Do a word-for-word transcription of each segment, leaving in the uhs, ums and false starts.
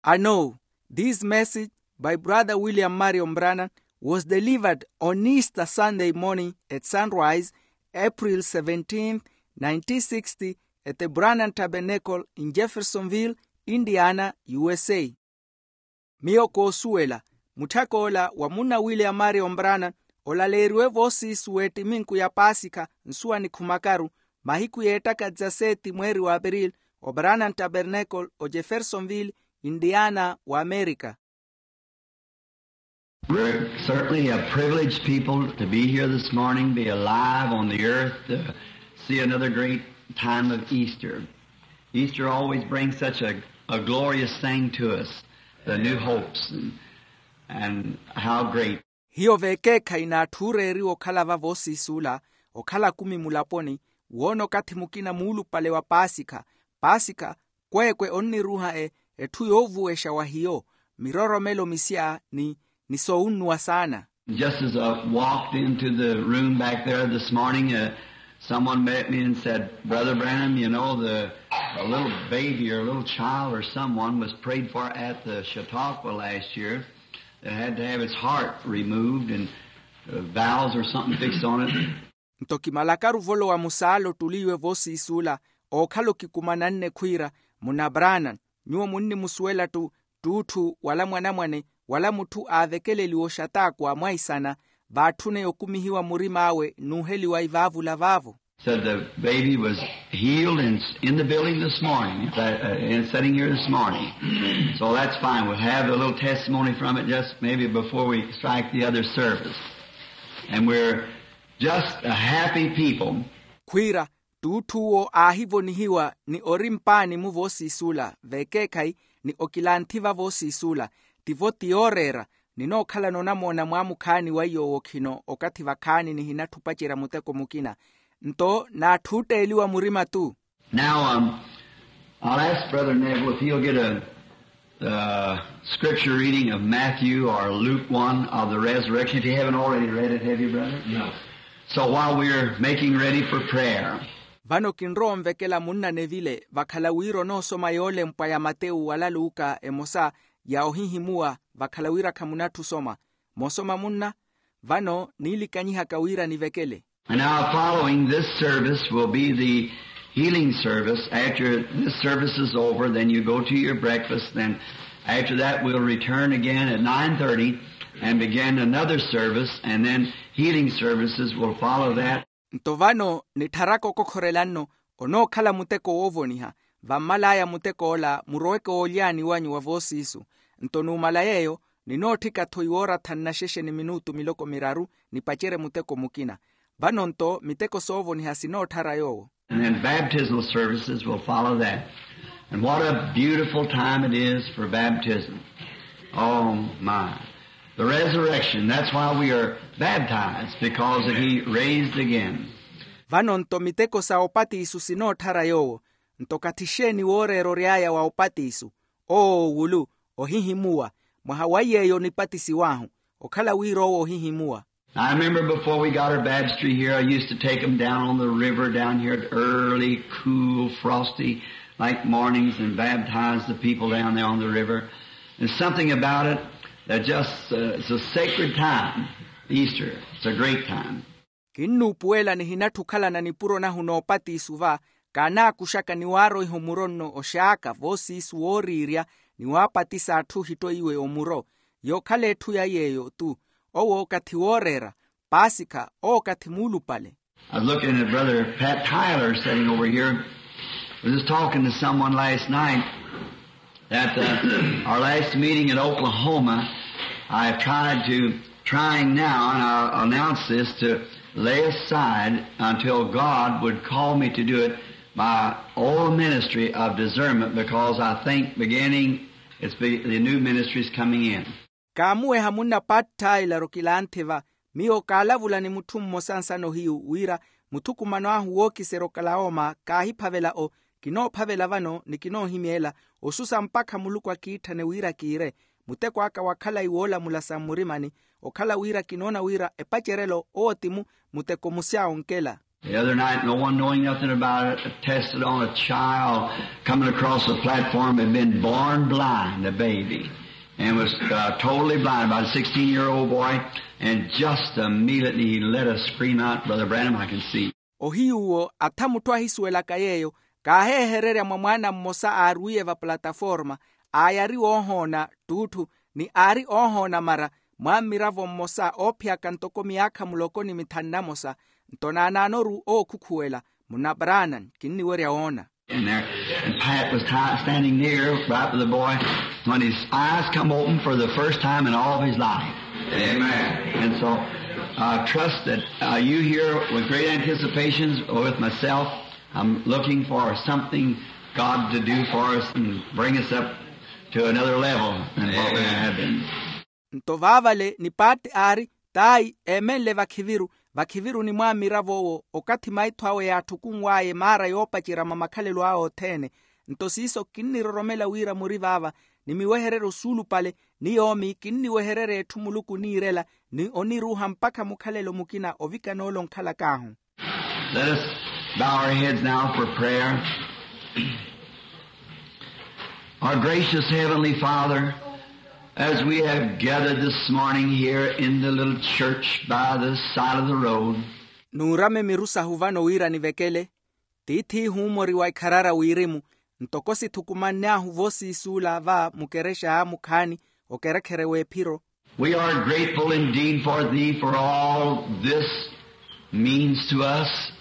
I know this message by Brother William Marion Branham was delivered on Easter Sunday morning at sunrise, April seventeenth, nineteen sixty, at the Branham Tabernacle in Jeffersonville, Indiana, U S A. Miyo koosuwela, mutthak'ola wa munna William Marion Branham olaleeriwe voosiisu w'ettiminku ya Paasikha nsuwa nikhumakaru, mahiku y'ettaka dizaseti mweeri wa April, o Branham Tabernacle, o Jeffersonville, Indiana, wa Amerika. We're certainly a privileged people to be here this morning, be alive on the earth, to see another great time of Easter. Easter always brings such a, a glorious thing to us, the new hopes and, and how great. Hiyo veekeekhayi n'atthu ooreeriwa okhala va voosiis'ula, okhala kumi mulaponi, woona okathi mukina muulupale wa Paasikha. Paasikha kweekwe onniruuha e, etthu yoovuwexa wa hiyo, miroromelo misya ni, ni soowunnuwa saana. Just as I walked into the room back there this morning, uh, someone met me and said, "Brother Branham, you know, the, a little baby or a little child or someone was prayed for at the Chautauqua last year that had to have its heart removed and, uh, valves or something fixed on it." Nto kimalakaru volowa musaala ottuliiwe voosiis'ula, ookhala okikumananne khwiira, munna Branham, nyuwo munnimusuwela ttu, ttuutthu wala mwanamwane wala mutthu aavekeleliwe oxataakwa mwaisana, vaatthune okumihiwa murim'awe n'uheliwa ivaavula vaavo. Said the baby was healed and in the building this morning, uh, and sitting here this morning. So that's fine. We'll have a little testimony from it just maybe before we strike the other service. And we're just a happy people. Khwiira, ttuutthu'wo aahivonihiwa ni ori mpaani mu voosiis'ula veekeekhayi, ni okilanthi va voosiis'ula, tivo ti yooreera. Ninookhalana onamoona mwaamukhaani weiyo owo khino okathi vakhaani nihinatthi opacerya muteko mukina. Nto n'atthuutteeliwa murima-ttu. Now, um, I'll ask Brother Neville if he'll get a, uh, scripture reading of Matthew or Luke one of the resurrection, if you haven't already read it, have you, brother? No. So while we're making ready for prayer. Vano kinrowa onvekela munna Neville vakhala wira onoosoma yoolempwa ya Matewu wala Luka emosa ya ohihimuwa, vakhala wira khamunatthi osoma. Moosoma munna, vano niilikanyihaka wira nivekele. And now following this service will be the healing service. After this service is over, then you go to your breakfast. Then after that, we'll return again at nine thirty and begin another service, and then healing services will follow that. Nto vano nittharaka okokhorela nno, onookhala muteko woovoniha. Vammal'aya mutek'ola muroweke oolyaani wanyu wa voosiisu. Nto numala yeeyo, ninootthika-tho iwooratha nnaxexe ni minutu miloko miraru, nipacerye muteko mukina. Vano nto miteko soovoniha sinootthara yoowo. And then baptismal services will follow that. And what a beautiful time it is for baptism. Oh, my. The resurrection, that's why we are baptized, because that he raised again. Vano nto miteko sa opatiisu sinootthara yoowo. Nto kathi xeeni wooreera ory'aya wa opatiisu? Oo wulu, ohihimuwa. Mwaha wa iy'eyo nipatisiw'ahu, okhala wira owo ohihimuwa. I remember before we got our baptistry here, I used to take them down on the river down here at early, cool, frosty, like mornings and baptize the people down there on the river. There's something about it that just, uh, it's a sacred time, Easter. It's a great time. Kinnuupuwela nihinatthi okhalana nipuro nahu noopatiisu va, kaanaakuxaka ni waaroiha omuro nno oxaaka voosiisu wooriirya, ni waapatisa atthu ohittoiwe omuro. Yookhala etthu ya yeeyo-tu. Owo okathi wooreera, paasikha, owo okathi muulupale. I was looking at Brother Pat Tyler sitting over here. I was just talking to someone last night at, uh, our last meeting in Oklahoma. I've tried to, trying now, and I'll announce this, to lay aside until God would call me to do it, my old ministry of discernment, because I think beginning, it's be-, the new ministry is coming in. Kaamuweha munna Pat Tyler okilanthi va. Miyo kaalavula ni mutthu mmosa nsano hiyu wira muthukumano ahu wookiserya okalawoma kaahiphavela o, kinoophavela vano ni kinoohimyeela, osusa mpakha muluku akiitthane wira kiire. Muteko aka wa khalayi woolamula sa mmurimani, okhala wira kinoona wira epacerelo owo ti mu, muteko musya onkela. The other night, no one knowing nothing about it, tested on a child coming across the platform, had been born blind, a baby, and was uh, totally blind, about a sixteen year old boy, and just immediately he let a scream out, Brother Branham, I can see. Ohiyuwo atha mutthu ahisuwelaka yeeyo, kaaheehererya mwa mwaana mmosa aarwiye va plataforma, aayari woohoona ttuutthu, ni aari oohoona mara, mwaammiravo mmosa oophiyaka ntoko miyaakha muloko ni mithanu namosa. Nto naanaanoru ookhukhuwela, munna Branham, kinniwerya woona. And there, and Pat was standing near, right with the boy, when his eyes come open for the first time in all of his life. Amen. And so I trust that uh, you here with great anticipations with myself. I'm looking for something God to do for us and bring us up to another level than what we have been. Nto vaavale ni paatti aari, taayi eemenle vakhiviru, vakhiviru ni mwaamiravo-wo, okathi maitho awe yaatthukunw'aya emaara yoopacerya mwa makhalelo awe othene. Nto siiso kinniroromela wira muri vaava, ni miwehereryo suulupale, ni yoomi kinniwehererya etthu muluku oniirela, ni oniruuha mpakha mukhalelo mukina ovikana ole onkhalak'ahu. Let us bow our heads now for prayer. Our gracious Heavenly Father, as we have gathered this morning here in the little church by the side of the road, nuurame miru sahu vano wira nivekele, tiith'ihu mori wa ikharara wirimu, ntoko sithukumann'ahu voosiisuula va mukerexa mukhaani, okerekhere w'ephiro. We are grateful indeed for thee for all this means to us,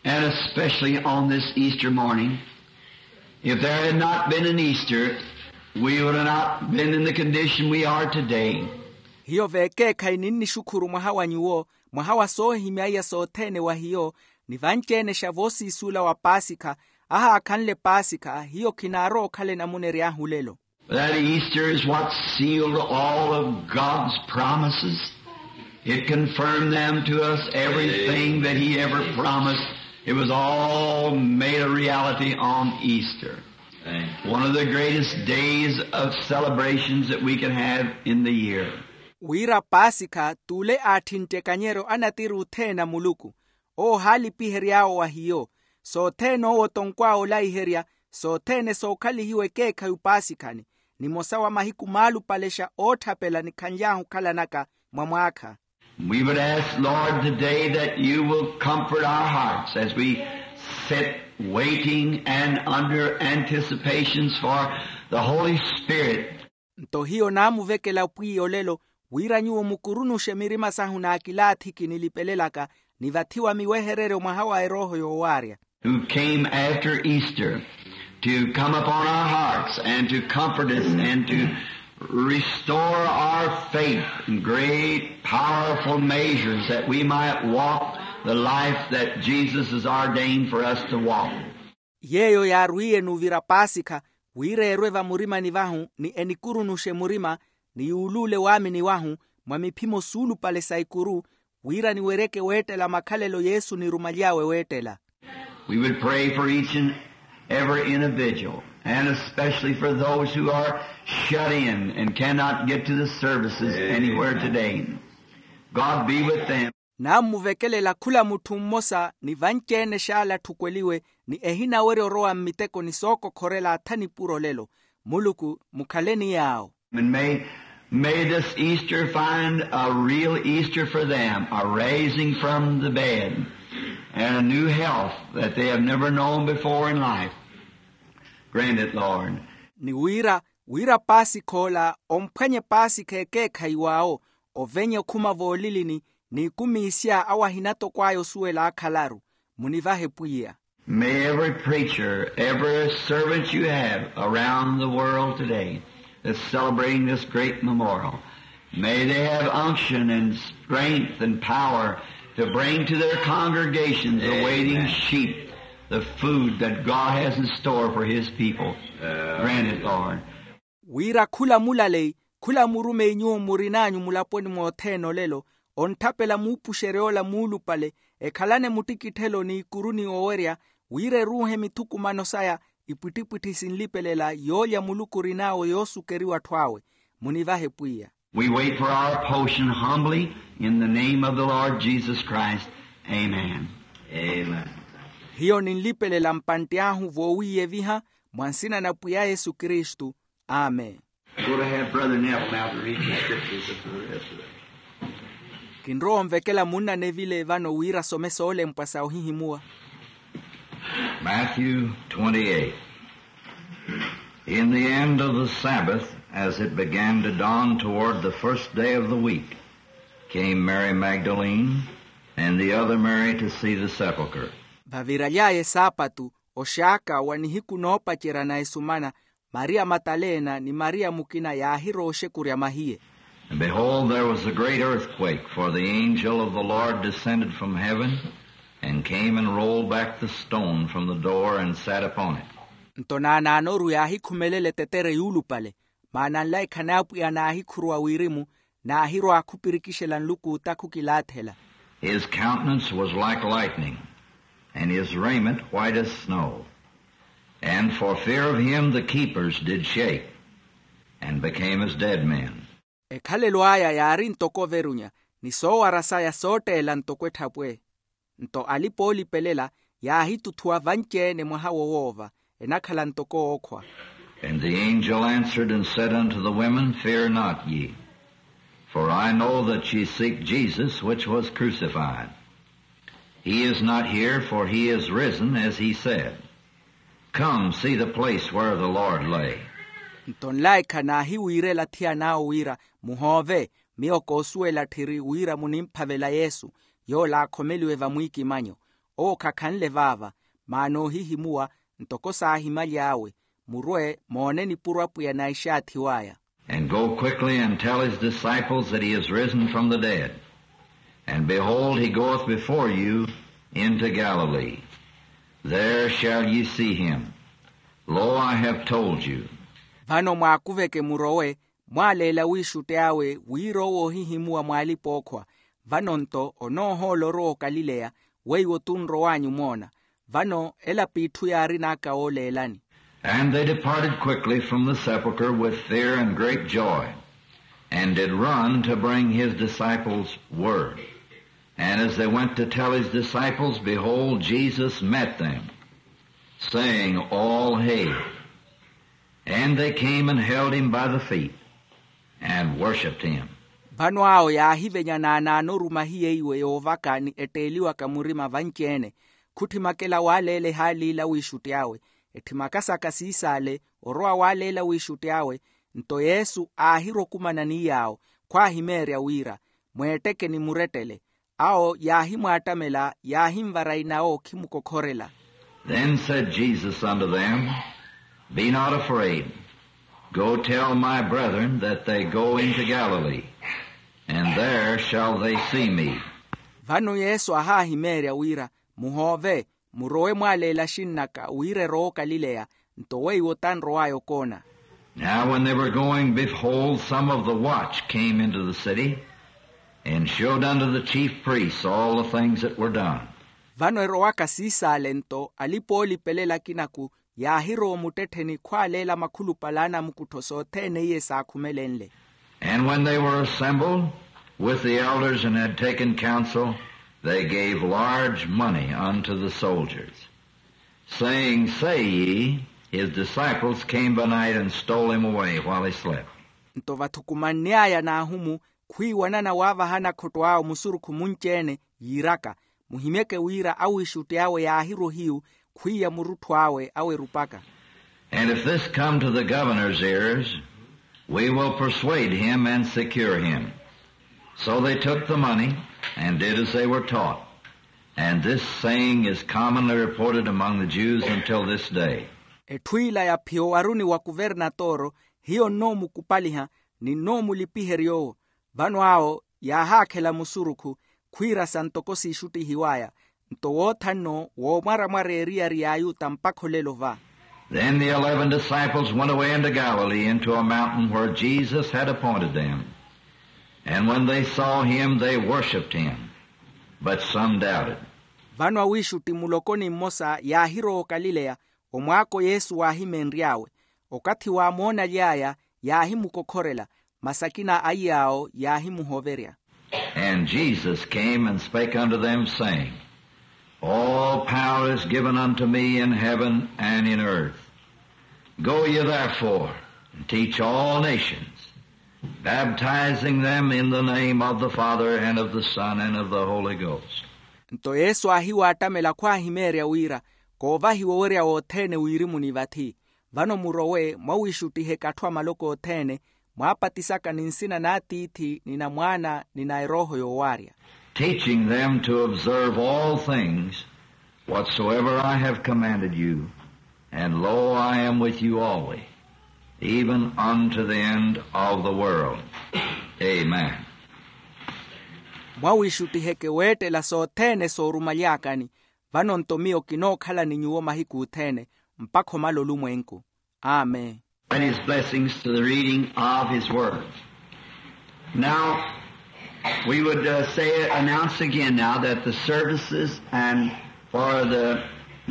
and especially on this Easter morning. If there had not been an Easter, we would have not been in the condition we are today. Hiyo veekeekhayi ninnixukhuru mwaha wa nyuwo, mwaha wa soohimya iya sothene wa hiyo, ni vanci-enexa voosiisuula wa paasikha, ahaakhanle paasikha hiyo khinaarowa okhala enamunery'ahu lelo. That Easter is what sealed all of God's promises. It confirmed them to us, everything that He ever promised. It was all made a reality on Easter. One of the greatest days of celebrations that we can have in the year. Wira paasikha t'ule aatthintte kanyeryo a natiri othene a muluku, owo ohaalipihery'awe wa hiyo, sothene owo otonkw'awe olaiherya, sothene sookhalihiwa ekeekhayi opaasikhani, nimosa wa mahiku maalupalexa ootthapela nikhanly'ahu okhalanaka mwa mwaakha. We would ask, Lord, today that you will comfort our hearts as we sit waiting and under anticipations for the Holy Spirit. Nto hiyo naamuvekela pwiya olelo, wira nyuwo mukurunuxe mirima sahu n'akilaathiki nilipelelaka, ni vathiwa miwehereryo mwaha wa erooho yoowaarya. Who came after Easter to come upon our hearts and to comfort us and to restore our faith in great, powerful measures that we might walk the life that Jesus has ordained for us to walk. Yeeyo yaarwiye n'uvira paasikha, wira eerwe vamurimani vahu ni enikurunuxe murima, ni yuuluule waamini wahu, mwa miphimo suulupale sa ikuru, wira niweryeke weettela makhalelo yesu onirumaly'awe weettela. We would pray for each and every individual, and especially for those who are shut in and cannot get to the services anywhere today. God be with them. Naammuvekelela khula mutthu mmosa ni vanci-ene xaala atthukweliwe, ni ehinawerya orowa mmiteko ni sookokhorela atha nipuro olelo. Muluku, mukhaleni yaawo. And may, may this Easter find a real Easter for them, a raising from the dead, and a new health that they have never known before in life. Grant it, Lord. Ni wira, wira paasikha ola omphwanye paasikha ekeekhayi waawo, ovenye okhuma voolilini, n'ikumiisya awo ahinatokw'aya osuwela akhalaru. Munivahe pwiya. May every preacher, every servant you have around the world today that's celebrating this great memorial, may they have unction and strength and power to bring to their congregations, the waiting sheep, the food that God has in store for His people. Grant it, Lord. Wira khula mulaleyi, khula murumeyi nyuwo murin'anyu mulaponi mothene olelo, ontthapela muupuxerya ola muulupale, ekhalane muttikitthelo n'ikuru ni owerya, wira eruuhe mithukumano saya, ipwittipwitthi sinlipelela yoolya muluku orin'awe yoosukeriwa atthu awe. Munivahe pwiya. We wait for our portion humbly in the name of the Lord Jesus Christ. Amen. Hiyo ninlipelela mpantti ahu voowiiyeviha, mwa nsina na pwiya yesu kristu. Amen. Go to have brother neville now to read the scriptures of the rest of it. Kinrowa onvekela munna neville vano wira asome soolempwa sa ohihimuwa. Matthew twenty-eight. In the end of the sabbath, as it began to dawn toward the first day of the week, came mary magdalene and the other mary to see the sepulchre. Vaviraly'aya esaapatu, oxaaka wa nihiku noopacerya na esumana, maria mataleena ni maria mukina yaahirowa oxekurya mahiye. And behold, there was a great earthquake, for the angel of the lord descended from heaven and came and rolled back the stone from the door and sat upon it. Nto naanaanoru yaahikhumelela etetere yuulupale, maana nlaikha n'apwiya naahikhuruwa wirimu, naahirowa akhupirikixela nluku otakhu kilaathela. His countenance was like lightning, and his raiment white as snow. And for fear of him the keepers did shake, and became as dead men. Ekhalelo aya yaari ntoko overunya, ni soowara saya sootteela ntoko etthapwe. Nto alipa oolipelela yaahitutthuwa vanci-ene mwaha wowoova, enakhala ntoko ookhwa. And the angel answered and said unto the women, fear not ye, for I know that ye seek jesus which was crucified. He is not here, for he is risen as he said. Come see the place where the lord lay. Nto nlaikha naahiwiirela thiyana awo wira, muhoove, miyo koosuwela tthiri wira munimphavela yesu, yoola aakhomeliwe vamwiikimanyo. Owo khakhanle vaava, maana oohihimuwa, ntoko saahimaly'awe. Murwe moone nipuro apwiya naixaathiw'aya. And go quickly and tell his disciples that he is risen from the dead. And behold, he goeth before you into galilee. There shall ye see him. Lo, I have told you. Vano mwaakuveke murowe, mwaaleela wiixutti awe wira owo ohihimuwa mwaalipa-ookhwa. Vano nto onoohoola orowa okalileya, weiwo tunrow'anyu moona. Vano ela p'itthu yaarin'aka wooleelani. And they departed quickly from the sepulchre with fear and great joy, and did run to bring his disciples word. And as they went to tell his disciples, behold, jesus met them, saying, all hail. And they came and held him by the feet, and worshipped him. Vano awo yaahivenya naanaanoru mahiye iwe yoovaka ni etteeliwaka murima vanci-ene. Khutthimakela waaleela ehaali ila wiixutti awe, etthimakasaka siisaale, orowa waaleela wiixutti awe. Nto yesu aahirwa okumana ni yaawo, khwaahimeerya wira, mweetteke ni murettele. Awo yaahimwaattamela yaahinvara inawo okhimukokhorela. Then said jesus unto them, be not afraid. Go tell my brethren that they go into galilee, and there shall they see me. Vano yesu aahaahimeerya wira, muhoove, murowe mwaaleela axinn'aka wira erowa okalileya, nto weiwo tanrow'aya okoona. Now when they were going, behold, some of the watch came into the city, and showed unto the chief priests all the things that were done. Vano erowaka siisaale nto alipa-oolipelela akinaku yaahirowa omuttettheni khwaaleela makhulupale a anamukuttho sothene iye saakhumelenle. And when they were assembled with the elders and had taken counsel, they gave large money unto the soldiers, saying, say ye, his disciples came by night and stole him away while he slept. Nto vathukumanny'aya n'ahumu, khwiiwanana waavaha anakhotto awo musurukhu munci-ene, yiiraka, muhimyeke wira awiixutti awe yaahirwa ohiyu, khwiiya murutthu awe awerupaka. And if this come to the governor's ears, we will persuade him and secure him. So they took the money and did as they were taught. And this saying is commonly reported among the jews until this day. Etthu ila yaphiya owaruni wa kuvernatoro, hiyo nnoomukupaliha, ni nnoomulipiherya owo. Vano awo yaahaakhela musurukhu, khwiirasa ntoko siixuttihiw'aya. Nto wootha nno woomwaramwara eriyari y'ayuta mpakha olelo va. Then the eleven disciples went away into galilee into a mountain where jesus had appointed them. And when they saw him they worshipped him, but some doubted. Vano awiixutti muloko ni mmosa yaahirowa okalileya, omwaako yesu waahimeenry'awe. Okathi waamoonaly'aya yaahimukokhorela, masi akina a iy'awo yaahimuhoverya. And jesus came and spake unto them, saying, All power is given unto me in heaven and in earth. Go ye therefore and teach all nations, baptizing them in the name of the Father and of the Son and of the Holy Ghost. Nto yesu aahiwaattamela khwaahimeerya wira koovahiwa owerya wothene wiirimuni vathi. Vano murowe mwawiixuttiheke atthu a maloko othene, mwaapatisaka ni nsina n'atiithi ni na mwaana ni na erooho yoowaarya. Teaching them to observe all things whatsoever I have commanded you, and lo, I am with you always, even unto the end of the world. Amen. Mwawiixuttiheke weettela sothene soorumaly'akani. Vano nto miyo kinookhala ni nyuwo mahiku othene mpakha omala olumwenku. Amen. And his blessings to the reading of his word. Now, we would uh, say, announce again now that the services and for the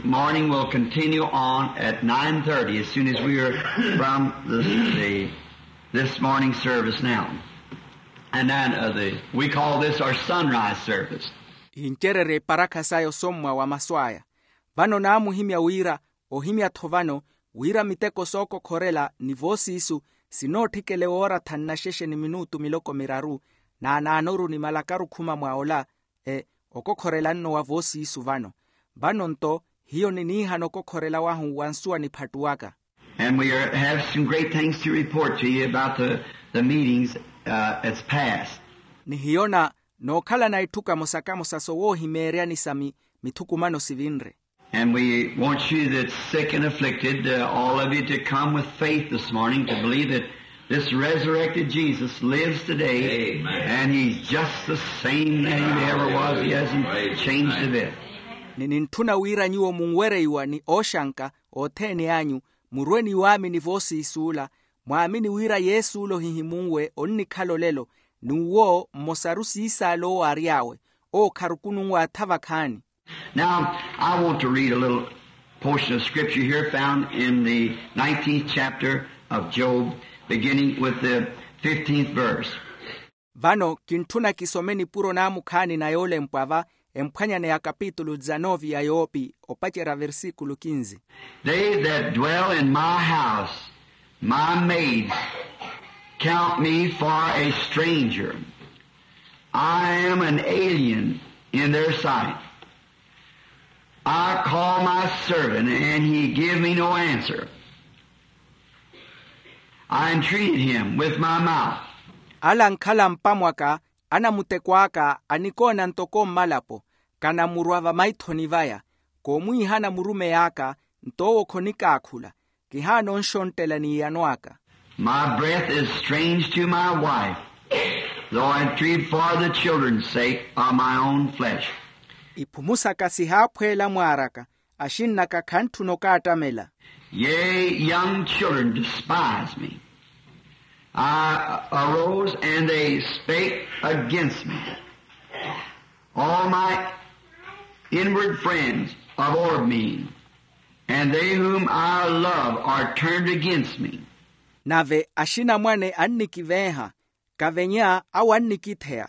morning will continue on at nine thirty as soon as we are from the, the this morning service now. And then uh, the, we call this our sunrise service. Incererye eparakha saya osommwa wa masu aya. Vano naamuhimya wira, ohimya-tho vano, wira miteko sookokhorela ni voosiisu sinootthikele woora thanu na xexe ni minutu miloko miraru, naanaanoru ni malakaru khuma mwa ola. E okokhorela nno wa voosiisu vano. Vano nto hiyo niniihana okokhorela wahu wa nsuwa niphattuwaka. And we are, have some great things to report to you about the, the meetings uh, that's passed. Ni hiyo na nookhalana itthu kamosa-kamosa sowoohimeeryani sa mi mithukumano sivinre. And we want you that's sick and afflicted, uh, all of you, to come with faith this morning to believe that this resurrected Jesus lives today. Amen. And he's just the same that he ever was. He hasn't changed a bit. Ni nintthuna wira nyuwo munwereiwa ni ooxanka othene anyu, murwe ni waamini voosiisuula, mwaamini wira yesuulo hihimunwe onnikhala olelo, n'uwo mmosaru siisaala owo aary'awe. Owo kharukununwe atha vakhaani. Now, I want to read a little portion of scripture here found in the nineteenth chapter of Job, beginning with the fifteenth verse. Vano kintthuna kisome nipuro naamukhaani na yoolempwa va emphwanyani ya kapitulu dizanovi ya yoopi opacerya versikulu kinzi. They that dwell in my house, my maids, count me for a stranger. I am an alien in their sight. I call my servant, and he give me no answer. I entreated him with my mouth. Ala ankhala mpamwaka, anamuteko aka anikoona ntoko mmalapo, kanamurwa vamaithoni vaya. Koomwiihana murumeyi aka, nto owo khonikaakhula. Kihaana onxonttela n'iyano aka. My breath is strange to my wife, though I entreat for the children's sake of my own flesh. Iphumu saka sihaaphweela mwaar'aka, axinn'aka khantthuna okaattamela. Yea, young children despise me. I arose and they spake against me. All my inward friends abhorred me, and they whom I love are turned against me. Nave axinamwane annikiveeha, kavenya awo annikitheya.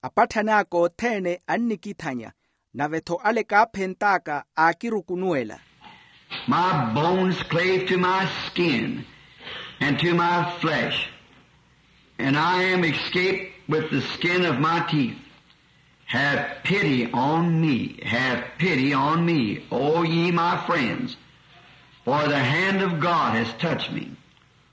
Apatthani aka othene annikithanya, nave-tho ale kaaphent'aka aakirukunuwela. My bones clave to my skin and to my flesh, and I am escaped with the skin of my teeth. Have pity on me, have pity on me, O ye my friends, for the hand of God has touched me.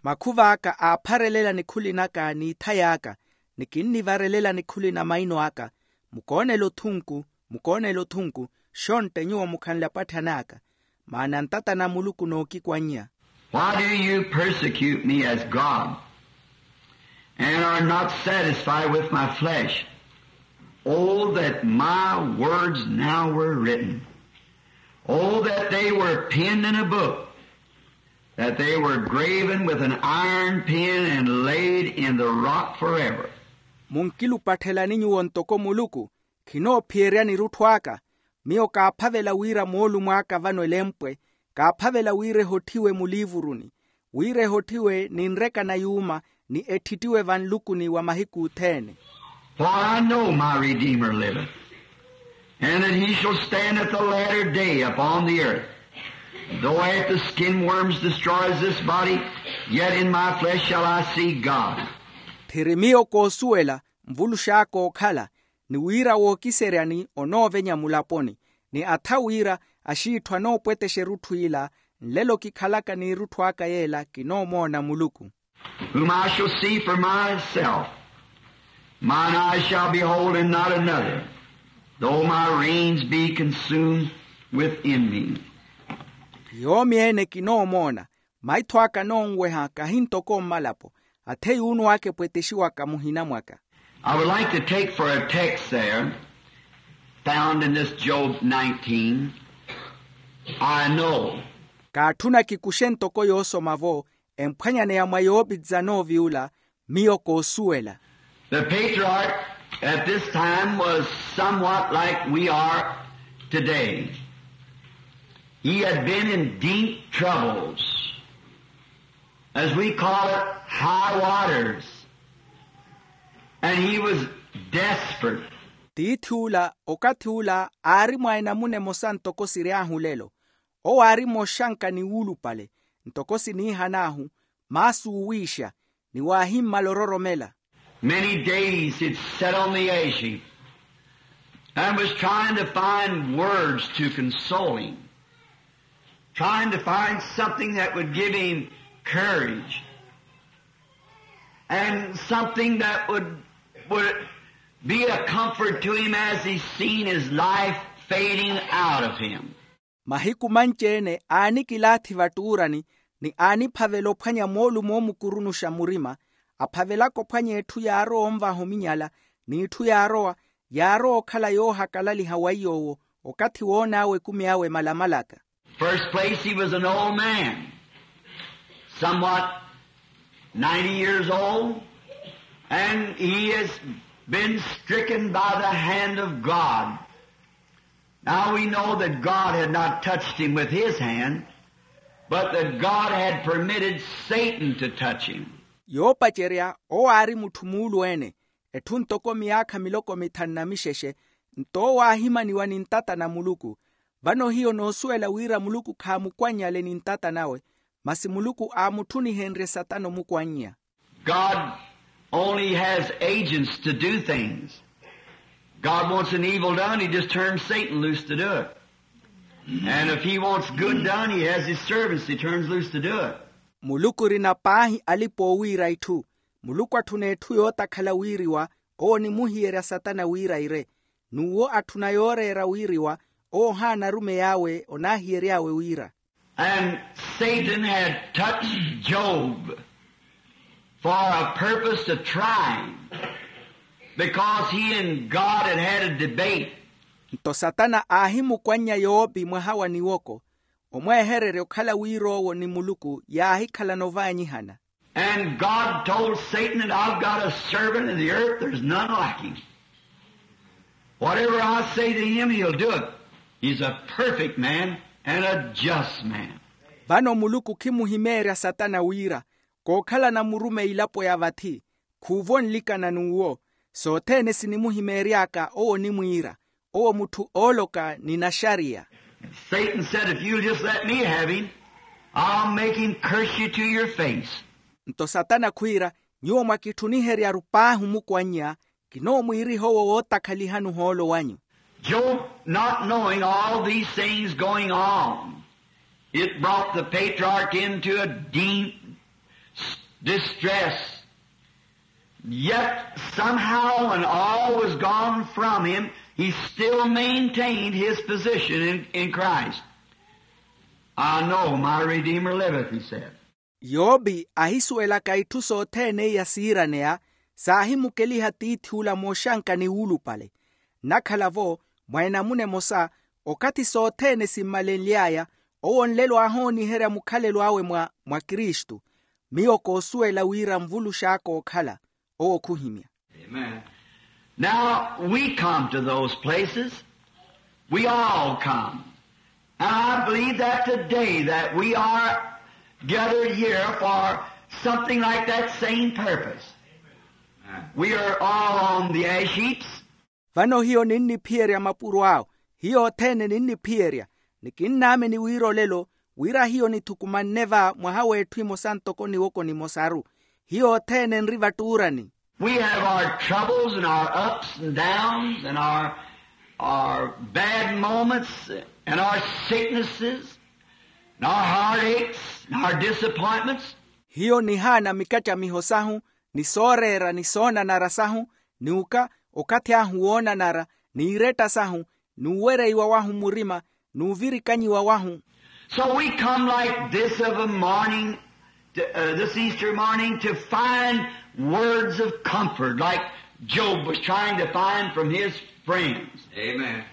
Makhuva aka aapharelela nikhuli naka n'ithay'aka, ni kinnivarelela nikhuli na maino aka. Mukoonela othunku, mukoonela othunku, xontte nyuwo mukhanle apatthani aka. Maana ntata na muluku nookikwannya. Why do you persecute me as God, and are not satisfied with my flesh? Oh, that my words now were written. Oh, that they were penned in a book, that they were graven with an iron pen and laid in the rock forever. Munkilupathelani nyuwo ntoko muluku, khinoophiyerya nirutthu aka. Miyo kaaphavela wira moolumo aka vano elempwe, kaaphavela wira ehotthiwe muliivuruni, wira ehotthiwe ni nreka na yuuma, ni etthittiwe vanlukuni wa mahiku othene. For I know my Redeemer liveth, And that he shall stand at the latter day upon the earth. Though after skin worms destroys this body, yet in my flesh shall I see God. Tthiri miyo koosuwela nvulux'aka okhala, ni wira wookiseryani onoovenya mulaponi, ni atha wira axiitthu anoopwetexa erutthu ila, nlelo kikhalaka n'irutthu aka yeela kinoomoona muluku. Whom I shall see for myself, mine eyes shall behold and not another, though my reins be consumed within me. Yoomi-ene kinoomoona, maitho aka anoonweha kahi ntoko mmalapo, athe yuunnu aka epwetexiwaka muhina mwaka. I would like to take for a text there, found in this Job nineteen, I know. Kaatthuna kikuxe ntoko yoosoma-vo emphwanyaneya mwa yoopi dzanoovi ula, miyo koosuwela. The patriarch at this time was somewhat like we are today. He had been in deep troubles, as we call it, high waters, and he was desperate. Tiithi ula okathi ula aari mwa enamuna emosa ntoko siry'ahu lelo. Owo aari mooxanka ni wuulupale, ntoko siniihan'ahu, maasi oowiixa, ni waahimmala ororomela. Many days he'd sat on the ash heap and was trying to find words to console him, trying to find something that would give him courage and something that would, would be a comfort to him as he seen his life fading out of him. Mahiku manci-ene aanikilaathi vattuurani, ni aaniphavela ophwanya moolumo oomukurunuxa murima, aphavelaka ophwanya etthu yaarowa onvaha ominyala, n'itthu yaarowa, yaarowa okhala yoohakalaliha wa iy'owo, okathi woon'awe ekumi awe malamalaka. First place, he was an old man, somewhat ninety years old, and he has been stricken by the hand of God. Now we know that God had not touched him with his hand, but that God had permitted Satan to touch him. Yoopacerya owo aari mutthu muulu-ene, etthu ntoko miyaakha miloko mithanu na mixexe, nto owo aahimaniwa ni ntata na muluku. Vano hiyo noosuwela wira muluku khaamukwannyale ni ntata nawe, masi muluku aamutthunihenrye satana omukwannya. God only has agents to do things. God wants an evil done, he just turns Satan loose to do it. And if he wants good done, he has his servants he turns loose to do it. Muluku orina paahi alipa oowiira itthu. Muluku atthuna etthu yootakhala wiiriwa, owo onimuhiyerya satana wira ire. N'uwo atthuna yooreera wiiriwa, owo ohaana arumeyi awe onaahiyery'awe wira. And Satan had touched Job for a purpose to try him, because he and God had had a debate. Nto satana aahimukwannya yoopi mwaha wa niwoko, omweehererya okhala wira owo ni muluku yaahikhalana ovaanyihana. And God told Satan that I've got a servant in the earth, there's none like him. Whatever I say to him, he'll do it. He's a perfect man and a just man. Vano muluku khimuhimeerya satana wira, kookhalana murumeyi ilapo ya vathi, khuuvo nlikana n'uwo. Sothene sinimuhimeery'aka owo onimwiira, owo mutthu ooloka ni naxariya. Satan said, if you'll just let me have him, I'll make him curse you to your face. Nto satana khwiira, nyuwo mwakitthuniheryaru paahi omukwannya, kinoomwiiriha owo wootakhalihani ohoolo wanyu. Job, not knowing all these things going on, it brought the patriarch into a deep s- distress. Yet somehow, when all was gone from him, he still maintained his position in, in Christ. I know my Redeemer liveth, he said. Yoopi ahisuwelaka itthu sothene iya siiraneya, saahimukeliha tiithi ula mooxanka ni wuulupale. Nnakhala-vo, mwa enamuna emosa, okathi sothene simmalenly'aya, owo nlelo aahooniherya mukhalelo awe mwa, mwa kristu. Miyo koosuwela wira nvulux'aka ookhala, owo khuhimya. Amen. Now, we come to those places. We all come. And I believe that today that we are gathered here for something like that same purpose. We are all on the ash heaps. Vano hiyo ninniphiyerya mapuro awo. Hiyo othene ninniphiyerya. Ni kinnaamini wira olelo, wira hiyo nithukumanne va mwaha w'etthu emosa ntoko niwoko nimosaru. Hiyo othene nri vattuurani. We have our troubles and our ups and downs and our, our bad moments and our sicknesses and our heartaches and our disappointments. Hiyo nihaana mikattamiho sahu, ni sooreera ni soonanara sahu, ni uka okathi ahu woonanara, ni iretta sahu, n'uwereiwa wahu murima, n'uvirikanyiwa wahu. So we come like this of a morning, to, uh, this Easter morning, to find words of comfort, like Job was trying to find from his friends. Amen.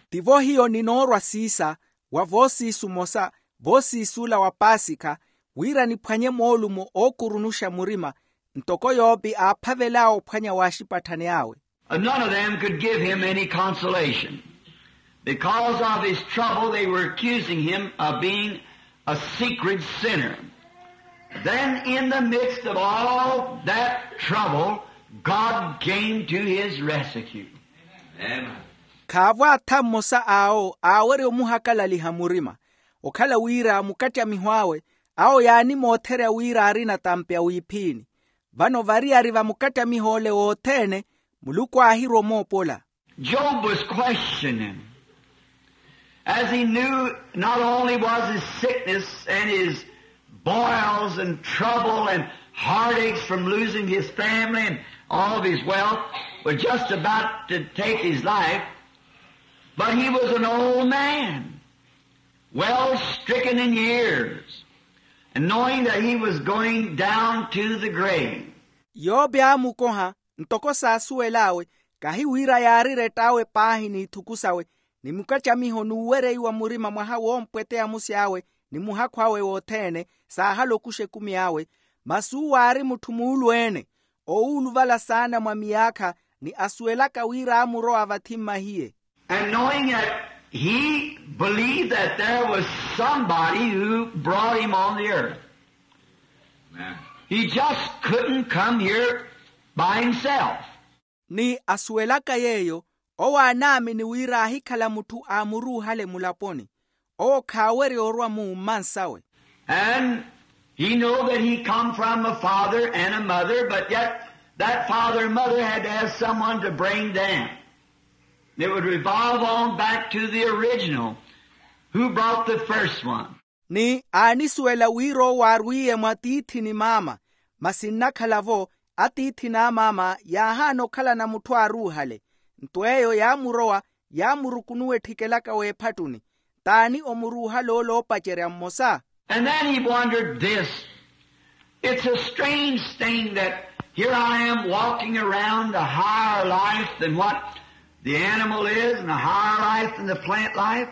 Tivo hiyo ninoorwa siisa wa voosiisu mosa, voosiisula wa paasikha, wira niphwanye moolumo ookurunuxa murima, ntoko yoopi aaphavel'awe ophwanya w'axipatthani awe. None of them could give him any consolation. Because of his trouble, they were accusing him of being a secret sinner. Then, in the midst of all that trouble, God came to his rescue. Amen. Khaavo atha mmosa awo aawerya omuhakalaliha murima, okhala wira mukattyamiho awe, awo yaanimootherya wira aari natampi a wiiphiini. Vano variyari va mukattyamiho ole wothene, muluku aahirwa omoopola. Job was questioning, as he knew not only was his sickness and his boils and trouble and heartaches from losing his family and all of his wealth was just about to take his life, but he was an old man, well stricken in years, and knowing that he was going down to the grave. Yope aamukoha, ntoko saasuwel'awe, kahi wira yaari rett'awe paahi n'ithuku sawe, ni mukattyamiho n'uwereiwa murima mwaha woompweteya musi awe, ni muhakhu awe wothene, saahala okuxa ekumi awe, masi uwo aari mutthu muulu-ene, owuuluvala saana mwa miyaakha, ni asuwelaka wira aamurowa vathi mmahiye. And knowing that he believed that there was somebody who brought him on the earth. Amen. He just couldn't come here by himself. Ni asuwelaka yeeyo, owo aanaamini wira aahikhala mutthu aamuruuhale mulaponi. Owo khaawerya orwa mu mmansawe. And he know that he come from a father and a mother, but yet that father and mother had to have someone to bring them. It would revolve on back to the original. Who brought the first one? Ni aanisuwela wira owo aarwiiye mwa tiithi ni maama, masi nnakhala-vo, atiithi n'amaama yaahaana okhalana mutthu aaruuhale. Nto eyo yaamurowa, yaamurukunuwa ettikelaka w'ephattuni. T'ani omuruuhale ole oopacerya mmosa? And then he wondered this. It's a strange thing that here I am walking around a higher life than what the animal is and a higher life than the plant life.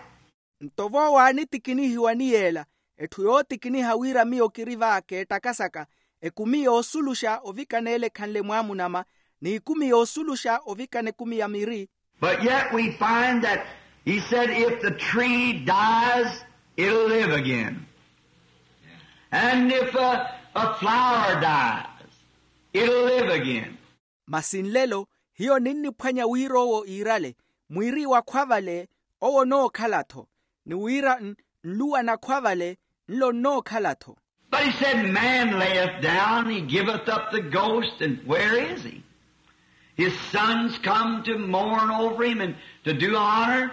Nto vo waanitikinihiwa ni yeela, etthu yootikiniha wira miyo kiri va keettakasaka, ekumi yoosuluxa ovikana ele ekhanle mwaamunama, n'ikumi yoosuluxa ovikana ekumi ya miri. But yet we find that he said, if the tree dies, it'll live again. And if a, a flower dies, it'll live again. Masi nlelo, hiyo ninniphwanya wira owo iirale, mwiri wakhwa vale, owo onookhala-tho, ni wira n- nluwa nakhwa vale, nlo nnookhala-tho. But he said, man layeth down, he giveth up the ghost, and where is he? His sons come to mourn over him and to do honor,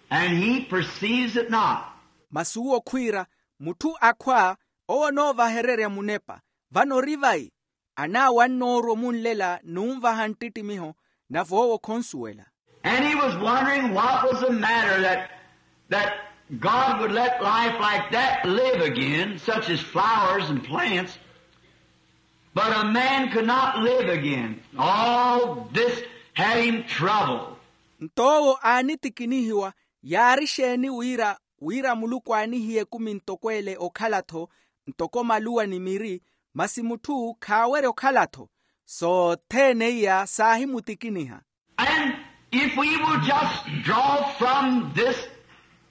and he perceives it not. Masi uwo khwiira, mutthu akhwa, owo onoovahererya munepa, vano ori vai? Anaawe annoorwa omunlela n'unvaha nttittimiho, nave owo khonsuwela. And he was wondering what was the matter that, that God would let life like that live again, such as flowers and plants, but a man could not live again. All this had him troubled. Nto owo aanitikinihiwa, yaari exeeni wira, wira muluku aanihiye ekumi ntoko ele okhala-tho, ntoko maluwa ni miri, masi mutthu khaawerya okhala-tho. Sothene iya saahimutikiniha. And if we will just draw from this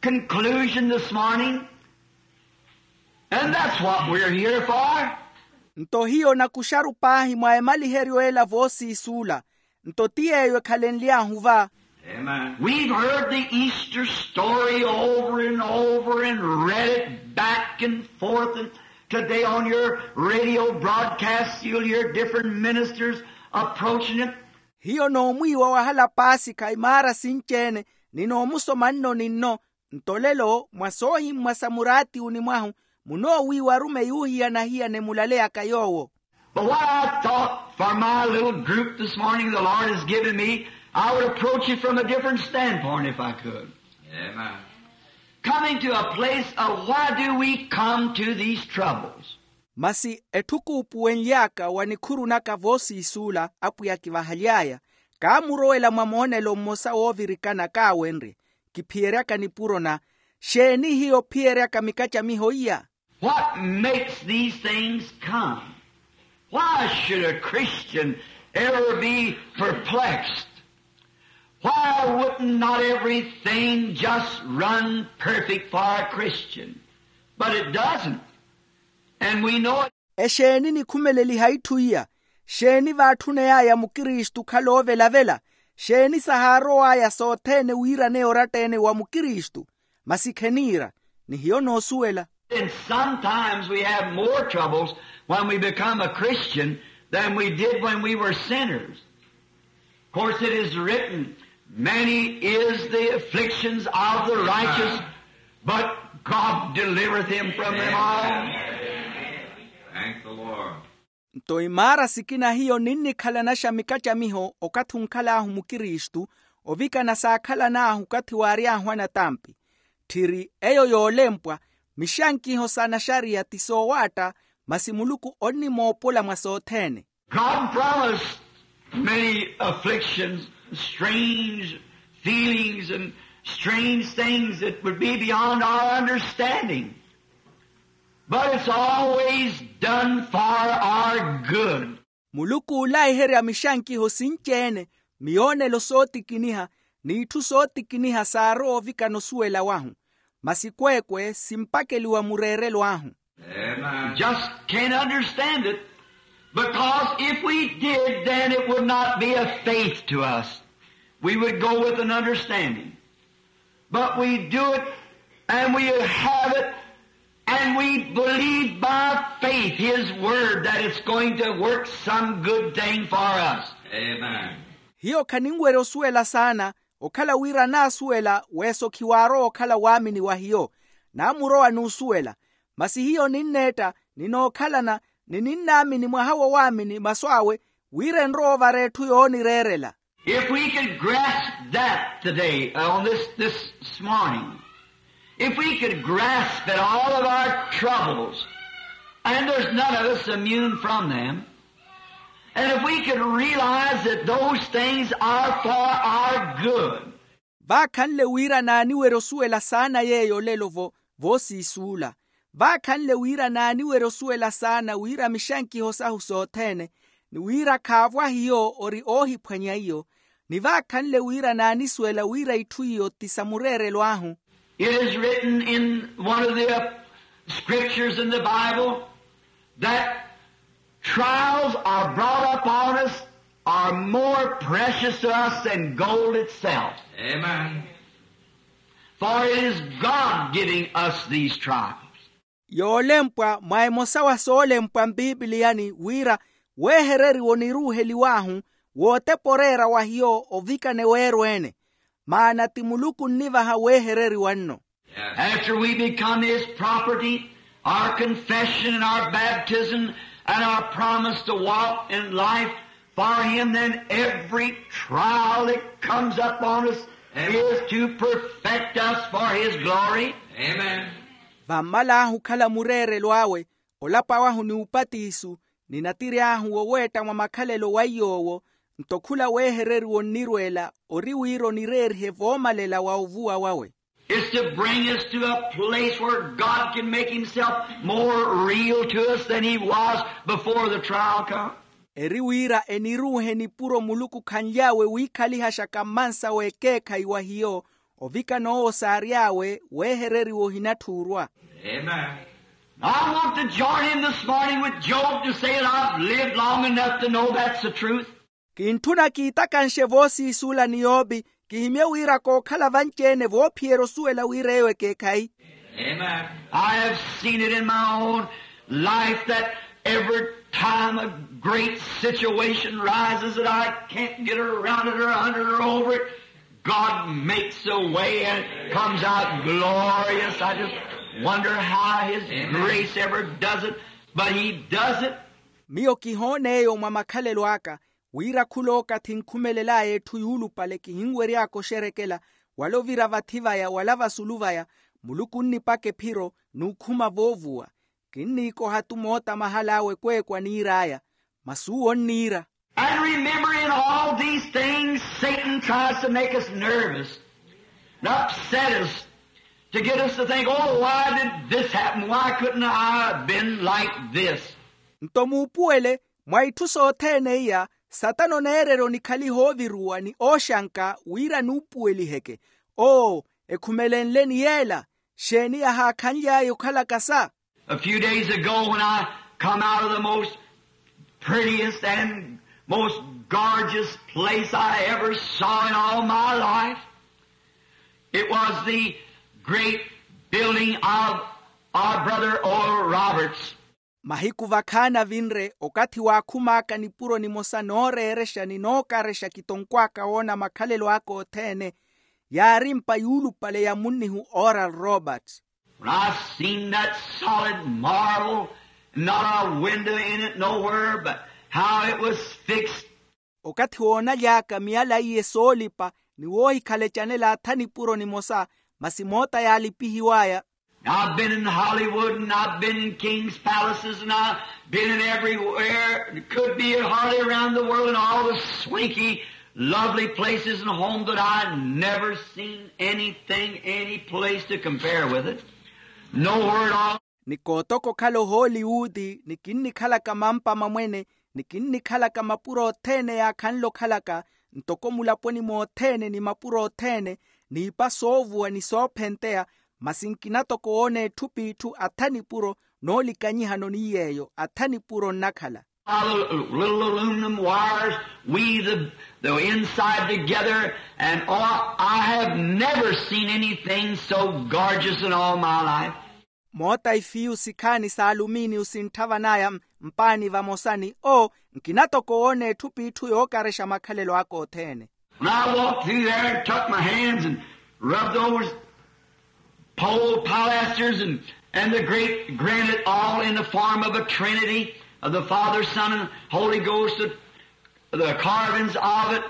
conclusion this morning, and that's what we're here for. Nto hiyo nakuxaru paahi mwa emaliheryo ela voosiisuula, nto ti yeeyo ekhalenly'ahu va. Amen. We've heard the Easter story over and over and read it back and forth, and today on your radio broadcasts you'll hear different ministers approaching it. Hiyo n'omwiiwa wahala paasikha imaara sinci-ene, ni n'omusoma nno ni nno. Nto lelo mwa soohimmwa sa muraatiwuni mwahu, munoowiiwa arumeyi oohiyana-hiyana emulaleyaka yoowo. But what I thought for my little group this morning the Lord has given me, I would approach it from a different standpoint if I could. Amen. Coming to a place of why do we come to these troubles? Masi etthukuupuwenly'aka wa nikhuru naka voosiisuula apwiya kivahaly'aya, kaamurowela mwa moonelo mmosa woovirikana kaawenrye, kiphiyeryaka nipuro na, xeeni hiyo ophiyeryaka mikacamiho iya? What makes these things come? Why should a Christian ever be perplexed? Why wouldn't not everything just run perfect for a Christian? But it doesn't. And we know it. Exeeni nikhumeleliha itthu iya? Xeeni vaatthuney'aya mukristu okhala oovelavela? Xeeni sahaarow'aya sothene wiiraneya oratta-ene wa mukristu? Masi kheniira, ni hiyo noosuwela. And sometimes we have more troubles when we become a Christian than we did when we were sinners. Of course, it is written, "Many is the afflictions of the righteous, but God delivereth him from them all." Amen. Thank the Lord. Nto imaara sikina hiyo ninnikhalanaxa mikacamiho okathi onkhal'ahu mukristu, ovikana saakhalan'ahu okathi waary'ahu anatampi. Tthiri eyo yoolempwa, mixankiho sa naxariya ti soowaatta, masi muluku onnimoopola mwa sothene. God promised many afflictions, strange feelings and strange things that would be beyond our understanding. But it's always done for our good. Muluku oolaiherya mixankiho sinci-ene, miyoonelo sootikiniha, n'itthu sootikiniha saarowa ovikana osuwela wahu. Masi kweekwe simpakeliwa mureerelo ahu. Amen. Just can't understand it, because if we did, then it would not be a faith to us. We would go with an understanding. But we do it, and we have it, and we believe by faith His Word that it's going to work some good thing for us. Amen. Hiyo khaninwerya osuwela saana, okhala wira naasuwela weeso khiwaarowa okhala waamini wa hiyo. Naamurowa n'usuwela. Masi hiyo ninneetta, ninookhalana, ni ninnaamini mwaha wa waamini masu awe, wira enrowa ovara etthu yoonireerela. If we could grasp that today, uh, on this, this, this morning, if we could grasp that all of our troubles, and there's none of us immune from them, and if we could realize that those things are for our good. Vaakhanle wira naaniwerya osuwela saana yeeyo olelo vo, voosiisuula. Vaakhanle wira naaniwerya osuwela saana wira mixankiho sahu sothene, ni wira khaavo ahiyo ori oohiphwanya iyo, ni vaakhanle wira naanisuwela wira itthu iyo ti sa mureerelo ahu. It is written in one of the, uh, scriptures in the Bible that trials are brought upon us are more precious to us than gold itself. Amen. For it is God giving us these trials. Yoolempwa mwa emosa wa soolempwa mpipiliyani wira weehereriwa oniruuheliw'ahu, wootepa oreera wa hiyo ovikana eweero-ene. Maana ti muluku onnivaha weehereriwa nno. After we become His property, our confession and our baptism and our promise to walk in life for Him, then every trial that comes upon us is to perfect us for His glory. Amen. Vammal'ahu okhala mureerelo awe, olapa wahu ni upatisu, ni natiri ahu woweetta mwa makhalelo wa iy'owo, nto khula weehereriwa onnirweela ori wira onireerihe voomalela wa ovuwa wawe. It's to bring us to a place where God can make Himself more real to us than He was before the trial come. Eri wira eniruuhe nipuro muluku khanly'awe wiikhalihaxaka mmansa w'ekeekhayi wa hiyo, ovikana owo saary'awe weehereriwa ohinatthuurwa. Amen. I want to join in this morning with Job to say that I've lived long enough to know that's the truth. Kintthuna kiitakanxe voosiisuula ni yoopi, Kihimye wira kookhala vanci-ene voophiyerya osuwela wira eyo ekeekhayi. I have seen it in my own life that every time a great situation rises that I can't get around it or under it or over it, God makes a way and it comes out glorious. I just wonder how His grace ever does it, but He does it. Miyo kihoona eyo mwa makhalelo aka, wira khulookathi nkhumelel'aya etthu yuulupale kihinwery'aka oxerekela, wala ovira vathi vaya wala vasulu vaya, muluku onnipaka ephiro n'ukhuma voovuwa. Kinniikoha-tu moota mahal'awe ekweekwa niir'aya. Masi uwo onniira. And remember, in all these things Satan tries to make us nervous and upset us, to get us to think, oh, why did this happen? Why couldn't I have been like this? Nto muupuwele, mwa itthu sothene iya, satana oneererya onikhaliha ooviruwa ni ooxanka wira nuupuweliheke. Oo, ekhumelenle ni yeela, xeeni yahaakhanly'aya okhalaka sa? A few days ago, when I come out of the most prettiest and most gorgeous place I ever saw in all my life, it was the great building of our brother Oral Roberts. Mahiku vakhaani avinre, okathi waakhum'aka nipuro nimosa nooreerexa ni nookarexa kitonkw'aka woona makhalelo aka othene, yaari mpa yuulupale ya munnihu Oral Robert. When I seen that solid marble, not a window in it nowhere, but how it was fixed. Okathi woonaly'aka miyala iye soolipa ni woohikhalecanela atha nipuro nimosa, masi moota yaalipihiw'aya. I've been in Hollywood and I've been in king's palaces and I've been in everywhere it could be, hardly around the world, in all the swanky, lovely places and homes, that I never seen anything, any place to compare with it. Nowhere at all. Ni kootoka okhala ohooliwuti, ni kinnikhalaka mampa mamwene, ni kinnikhalaka mapuro othene yaakhanle okhalaka, ntoko mulaponi mothene ni mapuro othene, n'ipa soovuwa ni soophenteya, masi nkina toko woona etthu p'itthu atha nipuro, noolikanyihano ni yeeyo atha nipuro nnakhala. How the little aluminum wires weave the, the inside together, and oh, I have never seen anything so gorgeous in all my life. Moota ifiyu sikhaani s'alumiiniyu sintthava naya mpaani vamosani, oo, nkina toko woona etthu p'itthu yookarexa makhalelo aka othene. When I walked through there and took my hands and rubbed those pole pilasters and, and the great granite, all in the form of a trinity of the Father, Son, and Holy Ghost, the, the carvings of it,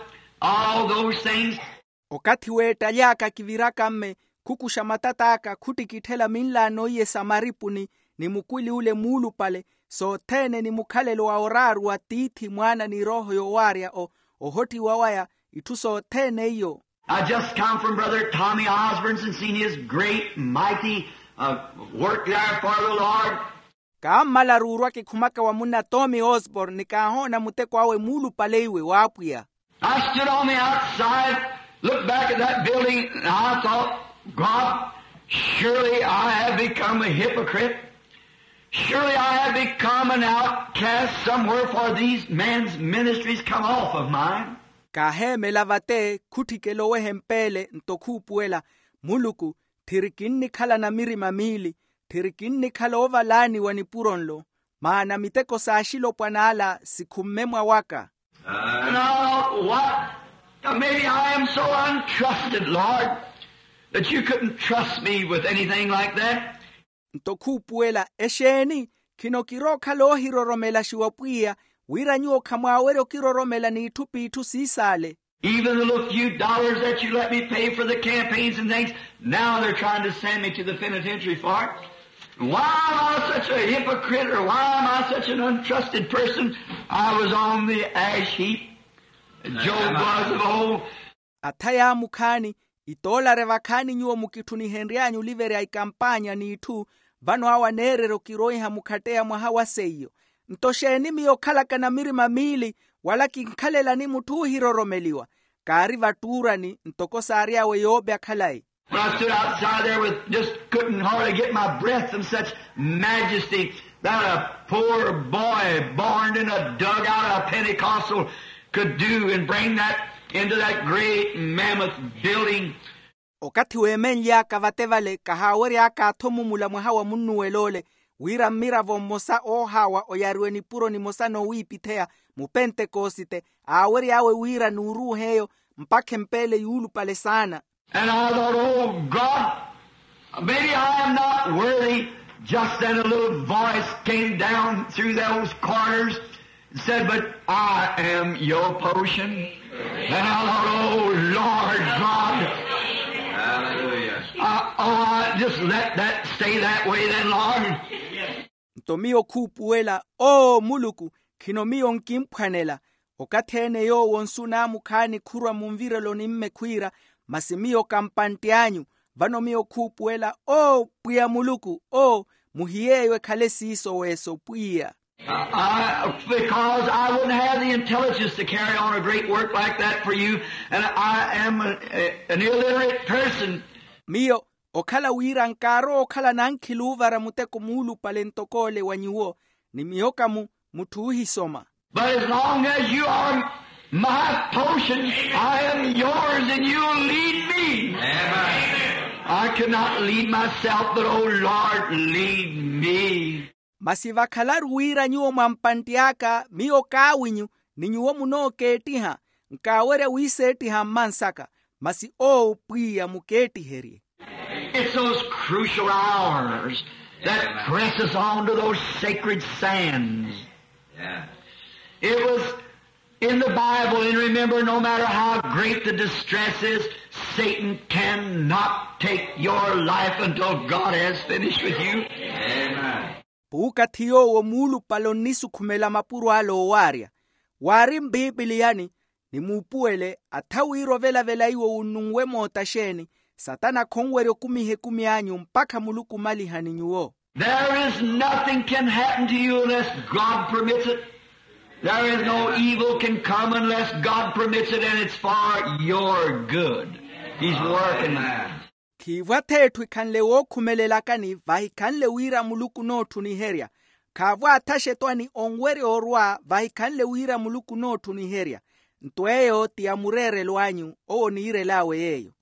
all those things. Okathi weettaly'aka kiviraka mme, khukuxa matat'aka khuttikitthela minlaano iye sa maripuni, ni mukwili ule muulupale, sothene ni mukhalelo wa oraaru wa tiithi, mwaana ni erooho yoowaarya o, ohottiwa waya, itthu sothene iyo. I just come from Brother Tommy Osborne's and seen his great, mighty, uh, work there for the Lord. Kaammalaru orwa kikhumaka wa munna Tommy Osborne, ni kaahoona muteko awe muulupale iwe w'apwiya. I stood on the outside, looked back at that building, and I thought, God, surely I have become a hypocrite. Surely I have become an outcast somewhere, for these men's ministries come off of mine. Kaaheemela vate, khutthikela oweha empeele nto khuupuwela, Muluku, tthiri kinnikhala na mirima miili, tthiri kinnikhala oovalaaniwa nipuro nlo, maana miteko s'axilopwana ala sikhumme mwawaka. And I thought, what? Maybe I am so untrusted, Lord, that you couldn't trust me with anything like that. Nto khuupuwela, exeeni, khino kirookhala oohiroromelaxiwa pwiya, wira nyuwo khamwaawerya okiroromela n'itthu p'itthu siisaale. Even the little few dollars that you let me pay for the campaigns and things, now they're trying to send me to the penitentiary for it. Why am I such a hypocrite, or why am I such an untrusted person? I was on the ash heap. Job was of old. Atha yaamukhaani, itoolare vakhaani nyuwo mukitthunihenry'anyu oliverya ikampaanya n'itthu, vano awo aneererya okiroiha mukhatteya mwaha wa seiyo. Nto xeeni miyo okhalaka na mirima miili, wala kinkhalelani mutthu oohiroromeliwa? Kaari vattuurani ntoko saary'awe yope akhalayi. When I stood outside there with, just couldn't hardly get my breath from such majesty that a poor boy born in a dugout, a Pentecostal, could do and bring that into that great mammoth building. Okathi weemenly'aka vate vale kahaawery'aka athomumula mwaha wa munnuwel'ole, wira mmiravo mmosa oohaawa oyariwe nipuro nimosa noowiipitheya, mupentekosite, aawery'awe wira nuuruuh'eyo mpakha empeele yuulupale saana. And I thought, oh God, maybe I am not worthy. Just then a little voice came down through those corners and said, but I am your potion. And I thought, oh Lord God. Hallelujah. Uh, oh, I just let that stay that way then, Lord. Nto miyo khuupuwela, oo muluku, khino miyo nkimphwanela. Okathi-ene yoowo nsu naamukhaani khurwa munvireloni mme khwiira, masi miyo kampantt'anyu. Vano miyo khuupuwela, oo pwiya muluku, oo, muhiyeeyo ekhale siiso weeso pwiya. Because I wouldn't have the intelligence to carry on a great work like that for you, and I am a, a, an illiterate person. Miyo okhala wira nkaarowa okhala nankhili oovara muteko muulupale ntok'ole wa nyuwo, ni miyo ka mu mutthu oohisoma. But as long as you are my potion, I am yours and you lead me. I cannot lead myself, but oh Lord, lead me. Masi vakhalaru wira nyuwo mwampantti aka miyo kaawinyu, ni nyuwo munookeettiha, nkaawerya wiiseettiha mmansaka. Masi oo pwiya mukeettiherye. It's those crucial hours that presses on to those sacred sands. It was in the Bible, and remember, no matter how great the distress is, Satan cannot take your life until God has finished with you. Puukathi yoowo muulupale onnisukhumela mapuro ale oowaarya. Waari mpiipiliyani, ni muupuwele atha wira ovelavela iwo wunnunwe moota xeeni, satana khonwerya okumiha ekumi anyu mpakha muluku omaliha ni nyuwo. There is nothing can happen to you unless God permits it. There is no evil can come unless God permits it, and it's for your good. He's working. Khiivo atheetthu ekhanle wookhumelelakani vahikhanle wira muluku onoottuniherya. Khaavo athaxetwani onwerya orwa vahikhanle wira muluku onoottuniherya. Nto eyo ti ya mureerelo anyu owo oniirel'awe yeeyo.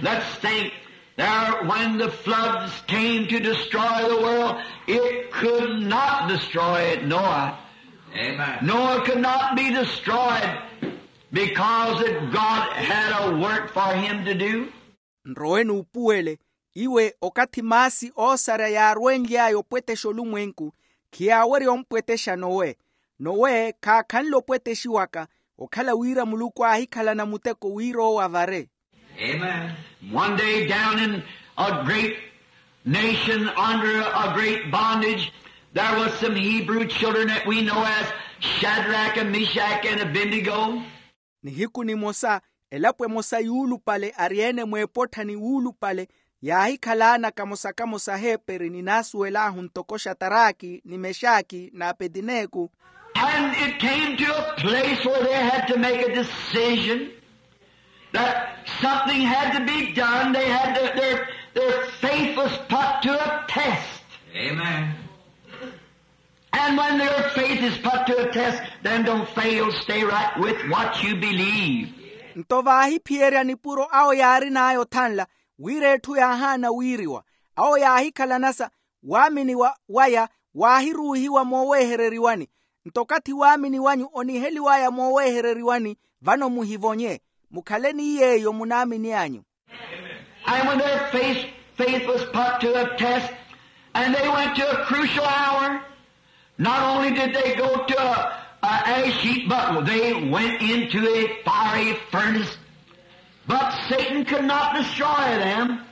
Let's think there, when the floods came to destroy the world, it could not destroy Noah. Noah could not be destroyed because that God had a work for him to do. Nrowe nuupuwele, iwe okathi maasi oosarya yaarwenly'aya opwetexa olumwenku, khiyaawerya ompwetexa nowe. Nowe khaakhanle opwetexiwaka, okhala wira muluku aahikhalana muteko wira owo avare. One day down in a great nation under a great bondage, there was some Hebrew children that we know as Shadrach and Meshach and Abednego. Nihiku nimosa, elapo emosa yuulupale ari-ene mweepottha ni wuulupale yaahikhalaana kamosa-kamosa aheeperi ni naasuwel'ahu ntoko xataraki ni mexaki n'apetineku. And it came to a place where they had to make a decision that something had to be done. They had to, their, their faith was put to a test. And when your faith is put to a test, then don't fail, stay right with what you believe. Nto vaahiphiyerya nipuro awo yaarin'aya othanla, wira etthu yaahaana wiiriwa. Awo yaahikhalanasa, waamini waya waahiruuhiwa mooweehereriwani. Nto okathi waamini wanyu oniheliw'aya mooweehereriwani, vano muhivonye, mukhale ni yeeyo munaamini anyu. And when their faith, faith was put to a test, and they went to a crucial hour, not only did they go to a, a ash heap, but they went into a fiery furnace. But Satan could not destroy them,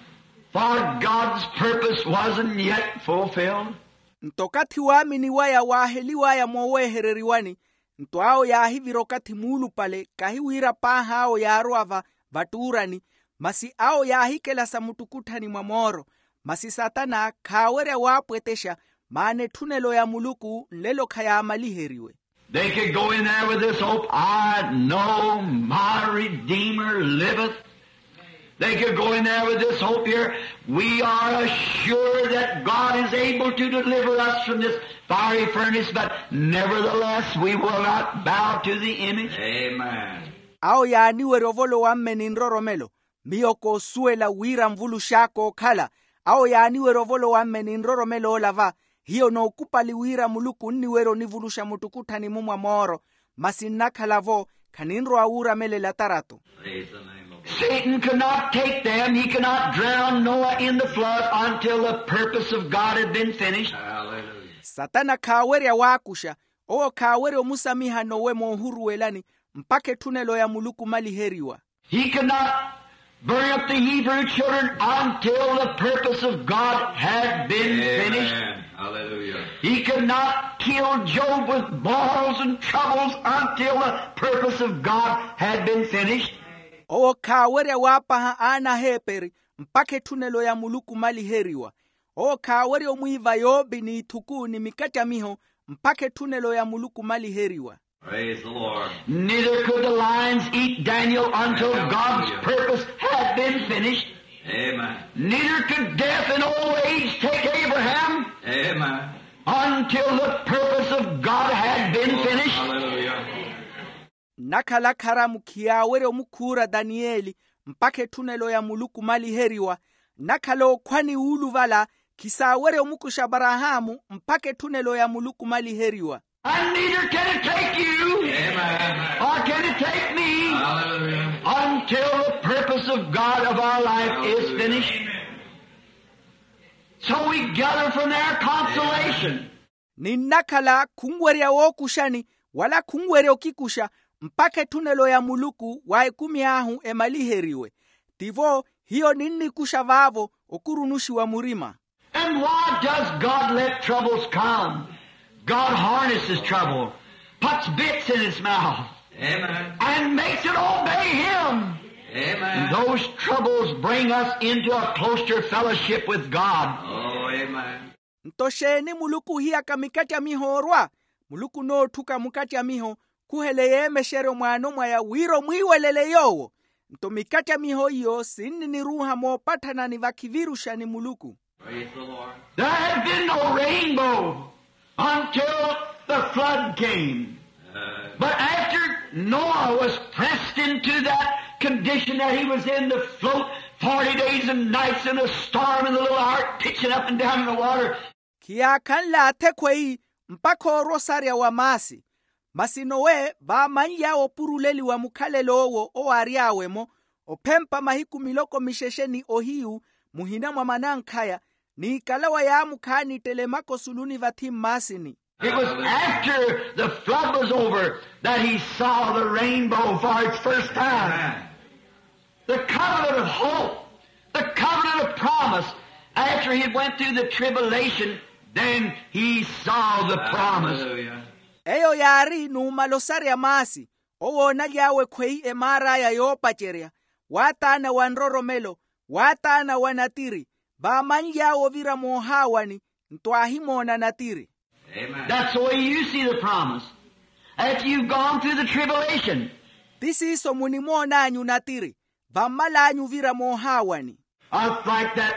for God's purpose wasn't yet fulfilled. Nto okathi waamini waya waaheliw'aya mooweehereriwani, nto awo yaahivira okathi muulupale, kahi wira paahi awo yaarowa va vattuurani, masi awo yaahikelasa muttukutthani mwa mooro. Masi satana khaawerya waapwetexa, maana etthunelo ya muluku nlelo khayaamaliheriwe. They could go in there with this hope, I know my Redeemer liveth. They could go in there with this hope here. We are assured that God is able to deliver us from this fiery furnace, but nevertheless we will not bow to the image. Amen. Awo yaaniwerya ovolowa-mme ni nroromelo. Miyo koosuwela wira nvulux'aka okhala. Awo yaaniwerya ovolowa-mme ni nroromelo ola va. Hiyo nookupali wira muluku onniwerya onivuluxa muttukutthani-mu mwa mooro. Masi nnakhala-vo, khaninrowa wuuramelela tarato. Satan could not take them. He could not drown Noah in the flood until the purpose of God had been finished. Satana khaawerya waakuxa. Owo khaawerya omusamiha nowe moohuruwelani mpakha etthunelo ya muluku omaliheriwa. He could not burn up the Hebrew children until the purpose of God had been finished. He could not kill Job with boils and troubles until the purpose of God had been finished. Owo khaawerya waapaha aana aheeperi mpakha etthunelo ya muluku omaliheriwa. Owo khaawerya omwiiva yoopi n'ithuku ni mikattamiho mpakha etthunelo ya muluku omaliheriwa. Neither could the lions eat Daniel until God's purpose had been finished. Neither could death in old age take Abraham until the purpose of God had been finished. Nnakhala kharamu khiyaawerya omukhuura daniyeli mpakha etthunelo ya muluku omaliheriwa. Nnakhala okhwa ni wuuluvala khisaawerya omukuxa aparahaamu mpakha etthunelo ya muluku omaliheriwa. And neither can it take you or can it take me until the purpose of God of our life is finished. So we gather from there consolation. Ni nnakhala khunwerya wookuxani wala khunwerya okikuxa mpakha etthunelo ya muluku wa ekumi ahu emaliheriwe. Tivo hiyo ninnikuxa vaavo okurunuxiwa murima. And why does God let troubles come? God harnesses trouble, puts bits in its mouth, and makes it obey him. And those troubles bring us into a closer fellowship with God. Nto xeeni muluku ohiyaka mikattamiho orwa? Muluku onootthuka mukattamiho khuhele yeemexeryo mwaano mwaya wira omwiiwelele yoowo. Nto mikattamiho iyo sinniniruuha moopatthana ni vakhiviruxa ni muluku. There had been no rainbow until the flood came. But after Noah was pressed into that condition that he was in, to float forty days and nights in a storm in the little ark, pitching up and down in the water. Khiyaakhanle athekhweyi mpakha oorwa osarya wa maasi. Masi nowe vaamanly'awe opuruleliwa mukhalelo owo owaary'awe-mo ophempa mahiku miloko mixexe ni ohiyu muhina mwa manankhaya, n'ikalawa yaamukhaani ettele maka osuluni vathi mmaasini. It was after the flood was over that he saw the rainbow for its first time. The covenant of hope, the covenant of promise. After he went through the tribulation, then he saw the promise. Eyo yaari numala osarya maasi, owoonaly'awe ekhweyi emaar'aya yoopacerya, waataana wa nroromelo, waataana wa natiri. Vaamanly'awe ovira moohaawani, nto aahimoona natiri. That's the way you see the promise. After you've gone through the tribulation. Ti siiso munimoon'anyu natiri vammal'anyu ovira moohaawani. It's like that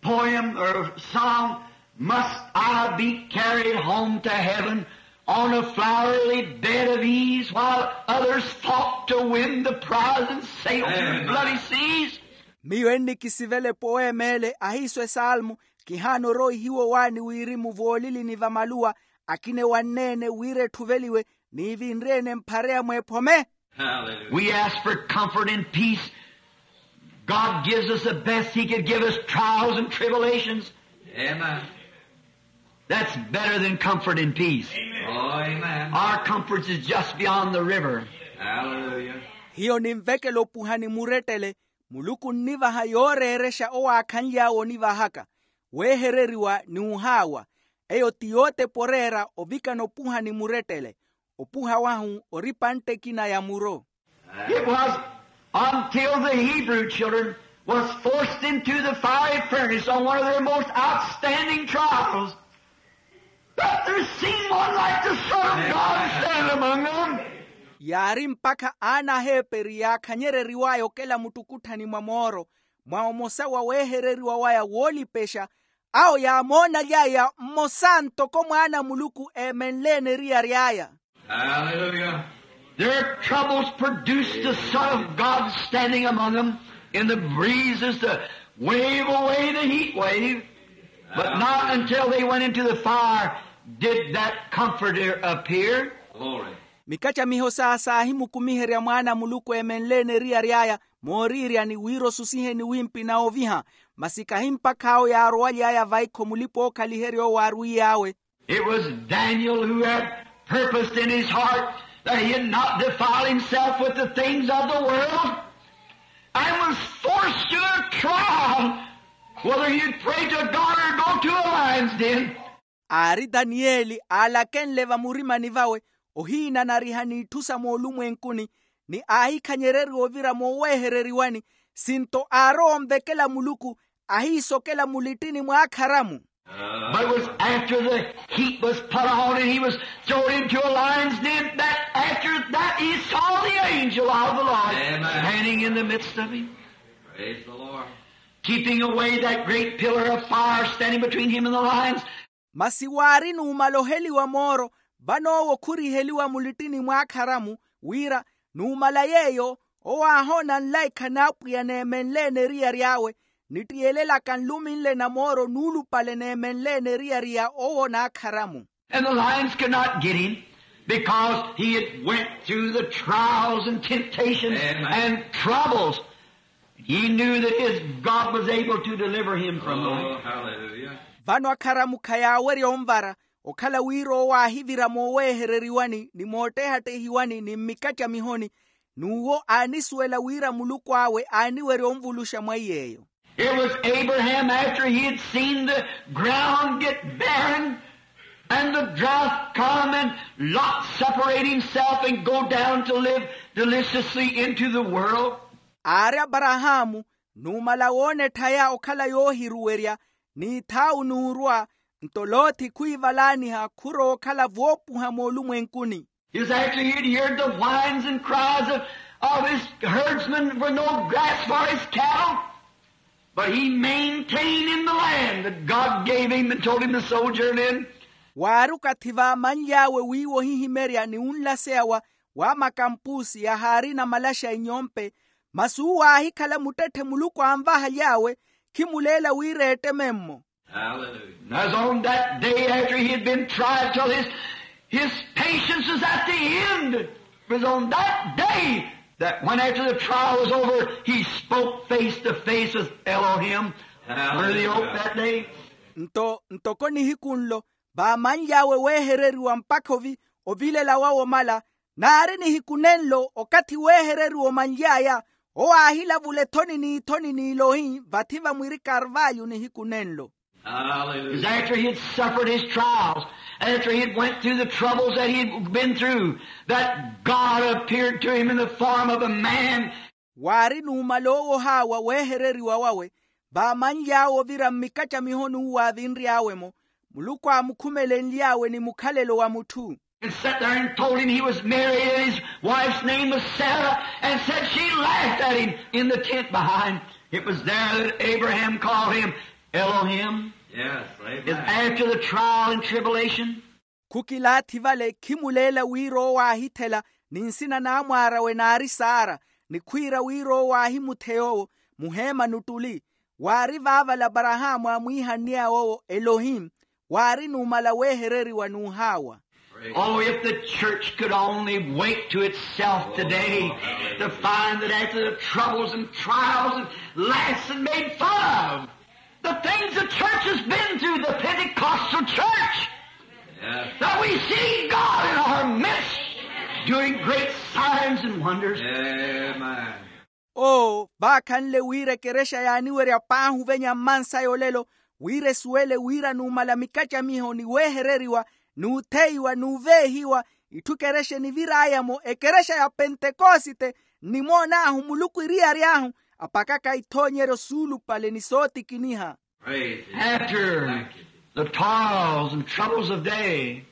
poem or song, must I be carried home to heaven on a flowery bed of ease, while others fought to win the prize and sailed through bloody seas? Miyo ennikisivela epoem'ele ahiiso esalmo, kihaana oroihiwa owaani wirimu voolilini va maluwa, akina ewanneene wira etthuveliwe, n'ivinre-ene mphareya mweephome. We ask for comfort and peace. God gives us the best he could give us, trials and tribulations. That's better than comfort and peace. Our comfort is just beyond the river. Hiyo ninvekela opuhani murettele. Muluku onnivaha yooreerexa owaakhanly'awe onivahaka, weehereriwa ni ohaawa. Eyo ti yootepa oreera ovikana opuhani murettele. Opuha wahu ori pantte ekina ya muro. It was until the Hebrew children was forced into the fiery furnace on one of their most outstanding trials that there seemed one like the Son of God standing among them. Yaari mpakha aana aheeperi yaakhanyereriw'aya okela muttukutthani mwa mooro, mwa omosa wa weehereriwa waya woolipexa. Awo yaamoonaly'aya mmosa ntoko mwaana a muluku eemenleene eriyari aya. Haleluya. Their troubles produced the Son of God standing among them in the breezes to wave away the heat wave. But not until they went into the fire did that Comforter appear. Mikacamiho saa saahimukumiherya mwaana a muluku eemenleene eriyari aya mooriiryani wira osusiheni wimpi na oviha. Masi kahi mpakha awo yaarowaly'aya vaikho mulipa-ookhaliherya owo aarwiy'awe. It was Daniel who had purposed in his heart that he had not defiled himself with the things of the world, and was forced to a trial whether he'd pray to God or go to a lion's den. Aari daniyeli aalakenle vamurimani vawe ohiinanariha n'itthu sa moolumwenkuni, ni aahikhanyereriwa ovira mooweehereriwani. Sinto aarowa onvekela muluku ahiisokela mulittini mw'akharamu. But it was after the heat was put on and he was thrown into a lion's den that after that he saw the angel of the Lord standing in the midst of him, keeping away that great pillar of fire standing between him and the lions. Masi waari numala oheliwa mooro, vano owo khuriheliwa mulittini mw'akharamu, wira numala yeeyo owo aahoona nlaikha n'apwiya neemenleene eriyari awe, nitiyelelaka nlumi nle na mooro nuulupale neemenleene eriyari ya owo n'akharamu. And the lions could not get him because he had went through the trials and temptations and troubles. He knew that his God was able to deliver him from them. Vano akharamu khayaawerya onvara, okhala wira owo aahivira mooweehereriwani ni moottehattehiwani ni mmikacamihoni, n'uwo aanisuwela wira muluku awe aaniwerya onvuluxa mwa iy'eyo. It was Abraham, after he had seen the ground get barren and the drought come and Lot separate himself and go down to live deliciously into the world. Aari aparahaamu, numala woona etthaya okhala yoohiruwerya, n'ithaau n'urwa, nto lothi khwiivalaaniha khurowa okhala voopuha moolumwenkuni. Is after he had heard the whines and cries of, of his herdsmen with no grass for his cattle, but he maintained in the land that God gave him and told him to sojourn in. Waari okathi vaamanly'awe wiiwa ohihimerya ni unlaseya wa wa makampusi yahaarina malaxa inyompe, masi uwo aahikhala muttetthe muluku anvahaly'awe, khimuleela wira eetteme-mmo. Hallelujah. As on that day after he had been tried till his, his patience was at the end, it was on that day that when after the trial was over, he spoke face to face with Elohim. Hallelujah. Were they open that day? Nto ntoko nihiku nlo vaamanly'awe weehereriwa mpakha ovi ovilela wawe omala, naari nihiku nenlo okathi weehereriwa omanly'aya, owo aahilavula ethoni n'ithoni n'ilohi vathi vamwiri karvalyu nihiku nenlo. Hallelujah. Is after he had suffered his trials, after he had went through the troubles that he had been through, that God appeared to him in the form of a man. Waari numala owohaawa weehereriwa wawe, vaamanly'awe ovira mmikacamiho n'uwo aavinry'awe-mo, muluku aamukhumelenly'awe ni mukhalelo wa mutthu. And sat there and told him he was married, and his wife's name was Sarah, and said she laughed at him in the tent behind. It was there that Abraham called him Elohim. Yes, amen. It's after the trial and tribulation. Khukilaathi vale khimuleela wira owo aahithela, ni nsina n'amwaar'awe naari saara, ni khwiira wira owo aahimutheya owo muheema n'uttuli. Waari vaavala aparahaamu aamwiihanniy'awe owo elohim. Waari numala weehereriwa n'uhaawa. Oh, if the church could only wake to itself today to find that after the troubles and trials and laughs and made fun of, the things the church has been through, the Pentecostal church, that we see God in our midst doing great signs and wonders. Amen. Oo, vaakhanle wira ekerexa yaaniwerya paahi ovenya mmansaya olelo, wira esuwele wira numala mikacamiho ni weehereriwa, n'utheiwa n'uveehiwa, itthu ekerexa enivir'aya-mo ekerexa ya pentekosite, nnimoon'ahu muluku eriyari ahu apakaka ithoonyeryo suulupale ni sootikiniha. After the trials and troubles of day,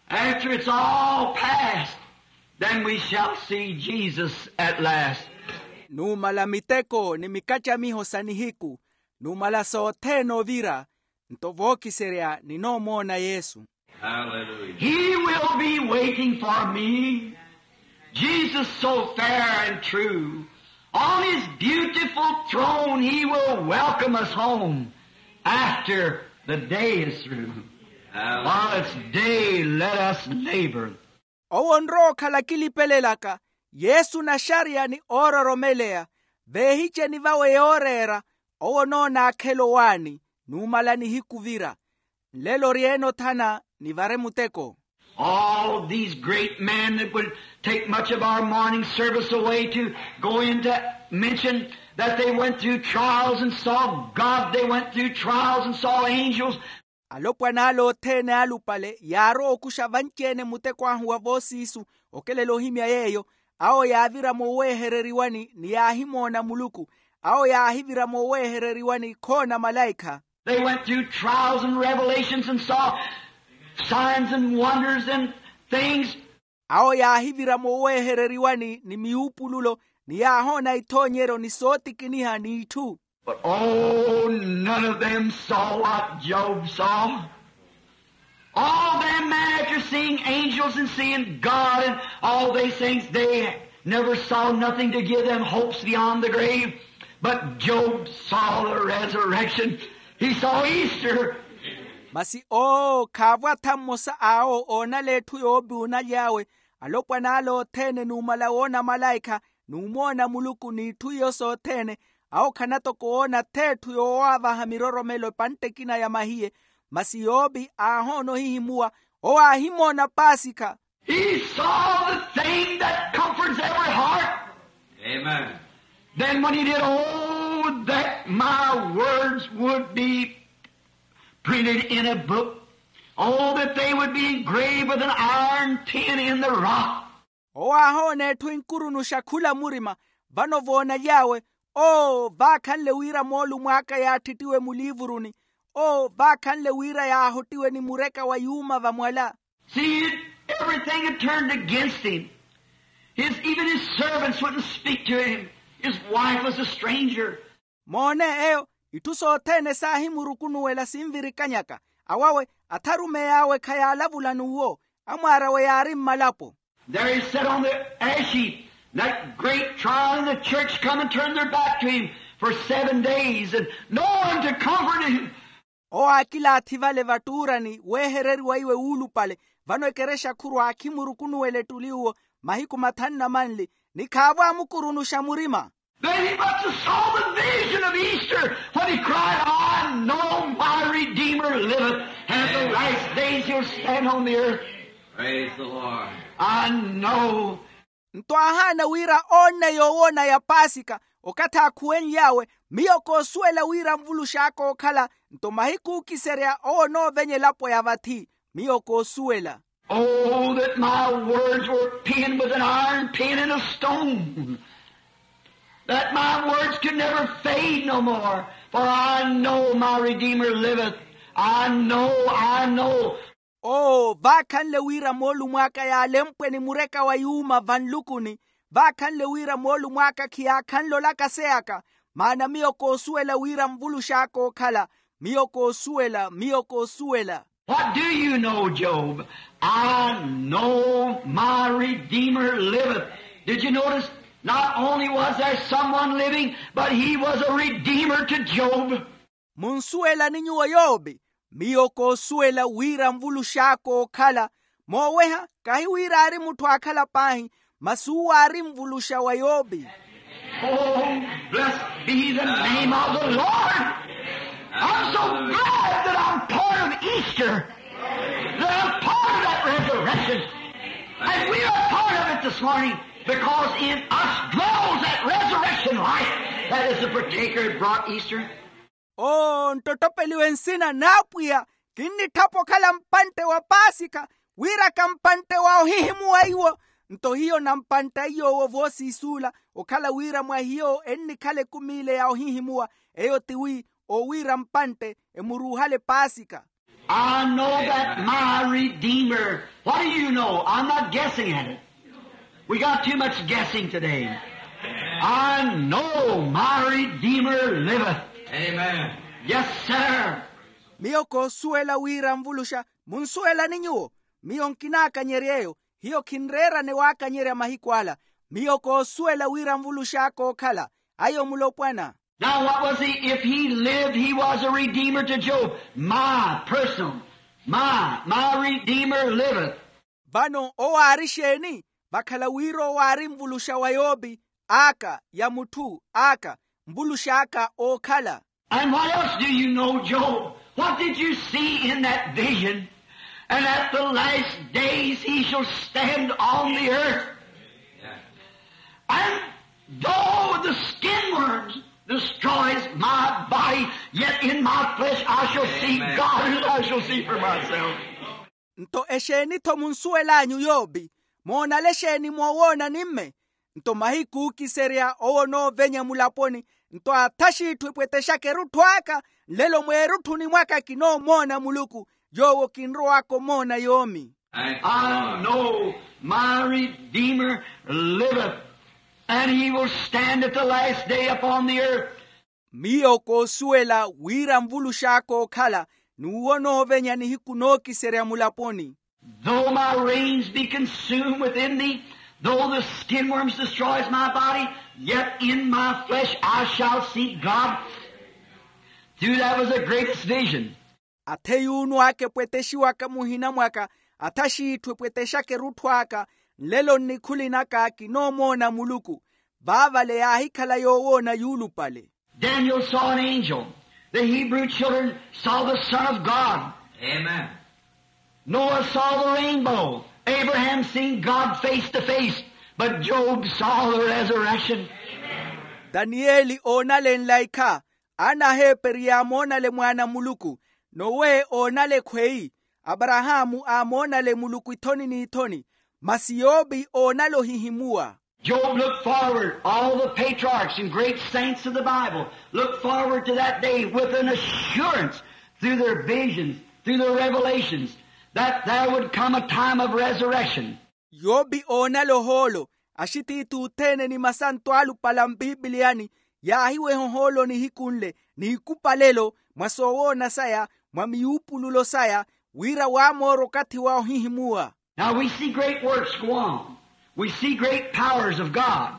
after it's all past, then we shall see Jesus at last. Numala miteko ni mikacamiho sa nihiku, numala sothene ovira, nto vookiserya ninoomoona yesu. He will be waiting for me. Jesus so fair and true, on his beautiful throne he will welcome us home after the day is through. While it's day, let us labor. Owo nrowa okhala kilipelelaka, yesu naxariya ni oororomeleya, veehiceni vawe yooreera. Owo noona akhela owaani, numala nihiku vira. Nlelo oryeene othana, nivare muteko. All these great men that would take much of our morning service away to go into mention that they went through trials and saw God, they went through trials and saw angels. Alopwana ale othene alupale yaarowa okuxa vanci-ene muteko ahu wa voosiisu. Okelela ohimya yeeyo, awo yaavira mooweehereriwani ni yaahimoona muluku. Awo yaahivira mooweehereriwani khoona malaikha. They went through trials and revelations and saw signs and wonders and things. Awo yaahivira mooweehereriwani ni miwupululo, ni yaahoona ithoonyeryo ni sootikiniha n'itthu. But oh, none of them saw what Job saw. All them men, after seeing angels and seeing God and all these things, they never saw nothing to give them hopes beyond the grave. But Job saw the resurrection. He saw Easter. Masi oo khaavo atha mmosa awo oonala etthu yoopi onaly'awe. Alopwana ale othene numala woona malaikha, numoona muluku n'itthu iyo sothene. Awo khanatoko woona th'etthu yoowaavaha miroromelo epantte ekina ya mahiye. Masi yoopi aahoona ohihimuwa, owo aahimoona paasikha. He saw the thing that comforts every heart. Amen. Then when he did, oh, that my words would be printed in a book. Oh, that they would be engraved with an iron pen in the rock. Owo aahoona etthu enkurunuxa khula murima. Vano voonaly'awe, oo vaakhanle wira moolumo aka yaattittiwe muliivuruni. Oo vaakhanle wira yaahottiwe ni mureka wa yuuma vamwala. See, everything had turned against him. His, even his servants wouldn't speak to him. His wife was a stranger. Moone eyo, itthu sothene saahimurukunuwela sinvirikanyaka. Awawe atharumeyi awe khayaalavula n'uwo. Amwaar'awe yaari mmalapo. There he sat on the ash heap, that great trial in the church, come and turn their back to him for seven days and no one to comfort him. Owo aakilaathi vale vattuurani weehereriwa iwe wuulupale. Vano ekerexa khuru aakhimurukunuwela ettuli uwo mahiku mathanu na manli, ni khaavo amukurunuxa murima. Then he must have saw the vision of Easter when he cried, I know my Redeemer liveth, and the last days he'll stand on the earth. Praise the Lord. I know. Nto aahaana wira oonne yoowoona ya paasika. Okathi aakhuwenly'awe, miyo koosuwela wira nvulux'aka ookhala. Nto mahiku ookiserya owo onoovenya elapo ya vathi. Miyo koosuwela. Oh, that my words were penned with an iron pen in a stone, that my words could never fade no more, for I know my Redeemer liveth. I know, I know. Oo vaakhanle wira moolumo aka yaalempwe ni mureka wa yuuma vanlukuni. Vaakhanle wira moolumo aka khiyaakhanle olaka seyaka. Maana miyo koosuwela wira nvulux'aka ookhala. Miyo koosuwela miyo koosuwela. What do you know, Job? I know my Redeemer liveth. Did you notice? Not only was there someone living, but he was a Redeemer to Job. Munsuwelani nyuwo yoopi? Miyo koosuwela wira nvulux'aka ookhala. Mooweha kahi wira aari mutthu aakhala paahi, masi uwo aari nvuluxa wa yoopi. Oh, blessed be the name of the Lord. I'm so glad that I'm part of Easter, that I'm part of that resurrection. And we are part of it this morning because in us dwells that resurrection life that is the partaker that brought Easter. Oo nttottopeliwe nsina n'apwiya. Kinnitthapa okhala mpantte wa paasikha, wiraka mpantte wa ohihimuwa iwo. Nto hiyo nampantta iy'owo voosiisuula, okhala wira mwa hiyo ennikhala ekumi ile ya ohihimuwa. Eyo tiwi owiira mpantte emuruuhale paasikha. I know that my Redeemer. What do you know? I'm not guessing at it. We got too much guessing today. I know my Redeemer liveth. Amen. Yes, sir. Miyo koosuwela wira nvuluxa. Munsuwelani nyuwo? Miyo nkinaakanyerya eyo. Hiyo khinreerane waakanyerya mahiku ala. Miyo koosuwela wira nvulux'aka ookhala ayo mulopwana. Now what was he? If he lived, he was a redeemer to Job. My personal, my my redeemer liveth. Vano owo aari exeeni? Vakhala wira owo aari nvuluxa wa yopi, aka ya mutthu aka, nvulux'aka ookhala. And what else do you know, Job? What did you see in that vision? And at the last days he shall stand on the earth. And though the skin worms destroys my body, yet in my flesh I shall see God, and I shall see for myself. Nto exeeni-tho munsuwel'anyu yopi? Moonale exeeni moowoona ni mme? Nto mahiku ookiserya owo onoovenya mulaponi. Nto athaxi itthu epwetexaka erutthu aka, nlelo mweerutthuni mwaka kinoomoona muluku, yoowo kinrow'aka omoona yoomi. I know my redeemer liveth, and he will stand at the last day upon the earth. Miyo koosuwela wira nvulux'aka ookhala, n'uwo onoovenya nihiku nookiserya mulaponi. Though my reins be consumed within me, though the skin worms destroys my body, yet in my flesh I shall see God. Through that was the greatest vision. Athe yuunu aka epwetexiwaka muhina mwaka, athaxi itthu epwetexaka erutthu aka, nlelo nnikhuli naka kinoomoona muluku. Vaavale yaahikhala yoowoona yuulupale. Daniel saw an angel. The Hebrew children saw the Son of God. Amen. Noah saw the rainbow. Abraham seen God face to face. But Job saw the resurrection. Danieli oonalenla ikha. Ana aheeperi yaamoonale mwaana a muluku. Nowe oonale ekhweyi. Aparahaamu aamoonale muluku ithoni n'ithoni. Masi yopi oonale ohihimuwa. Job looked forward, all the patriarchs and great saints of the Bible looked forward to that day with an assurance through their visions, through their revelations, that there would come a time of resurrection. Yopi oonale ohoolo. Axitiithi othene ni masanto alupale a mpipiliyani yaahiweha ohoolo nihiku nle, n'ikupalelo, mwa soowoona saya, mwa miyuupululo saya, wira waamoora okathi wa ohihimuwa. Now we see great works go on. We see great powers of God.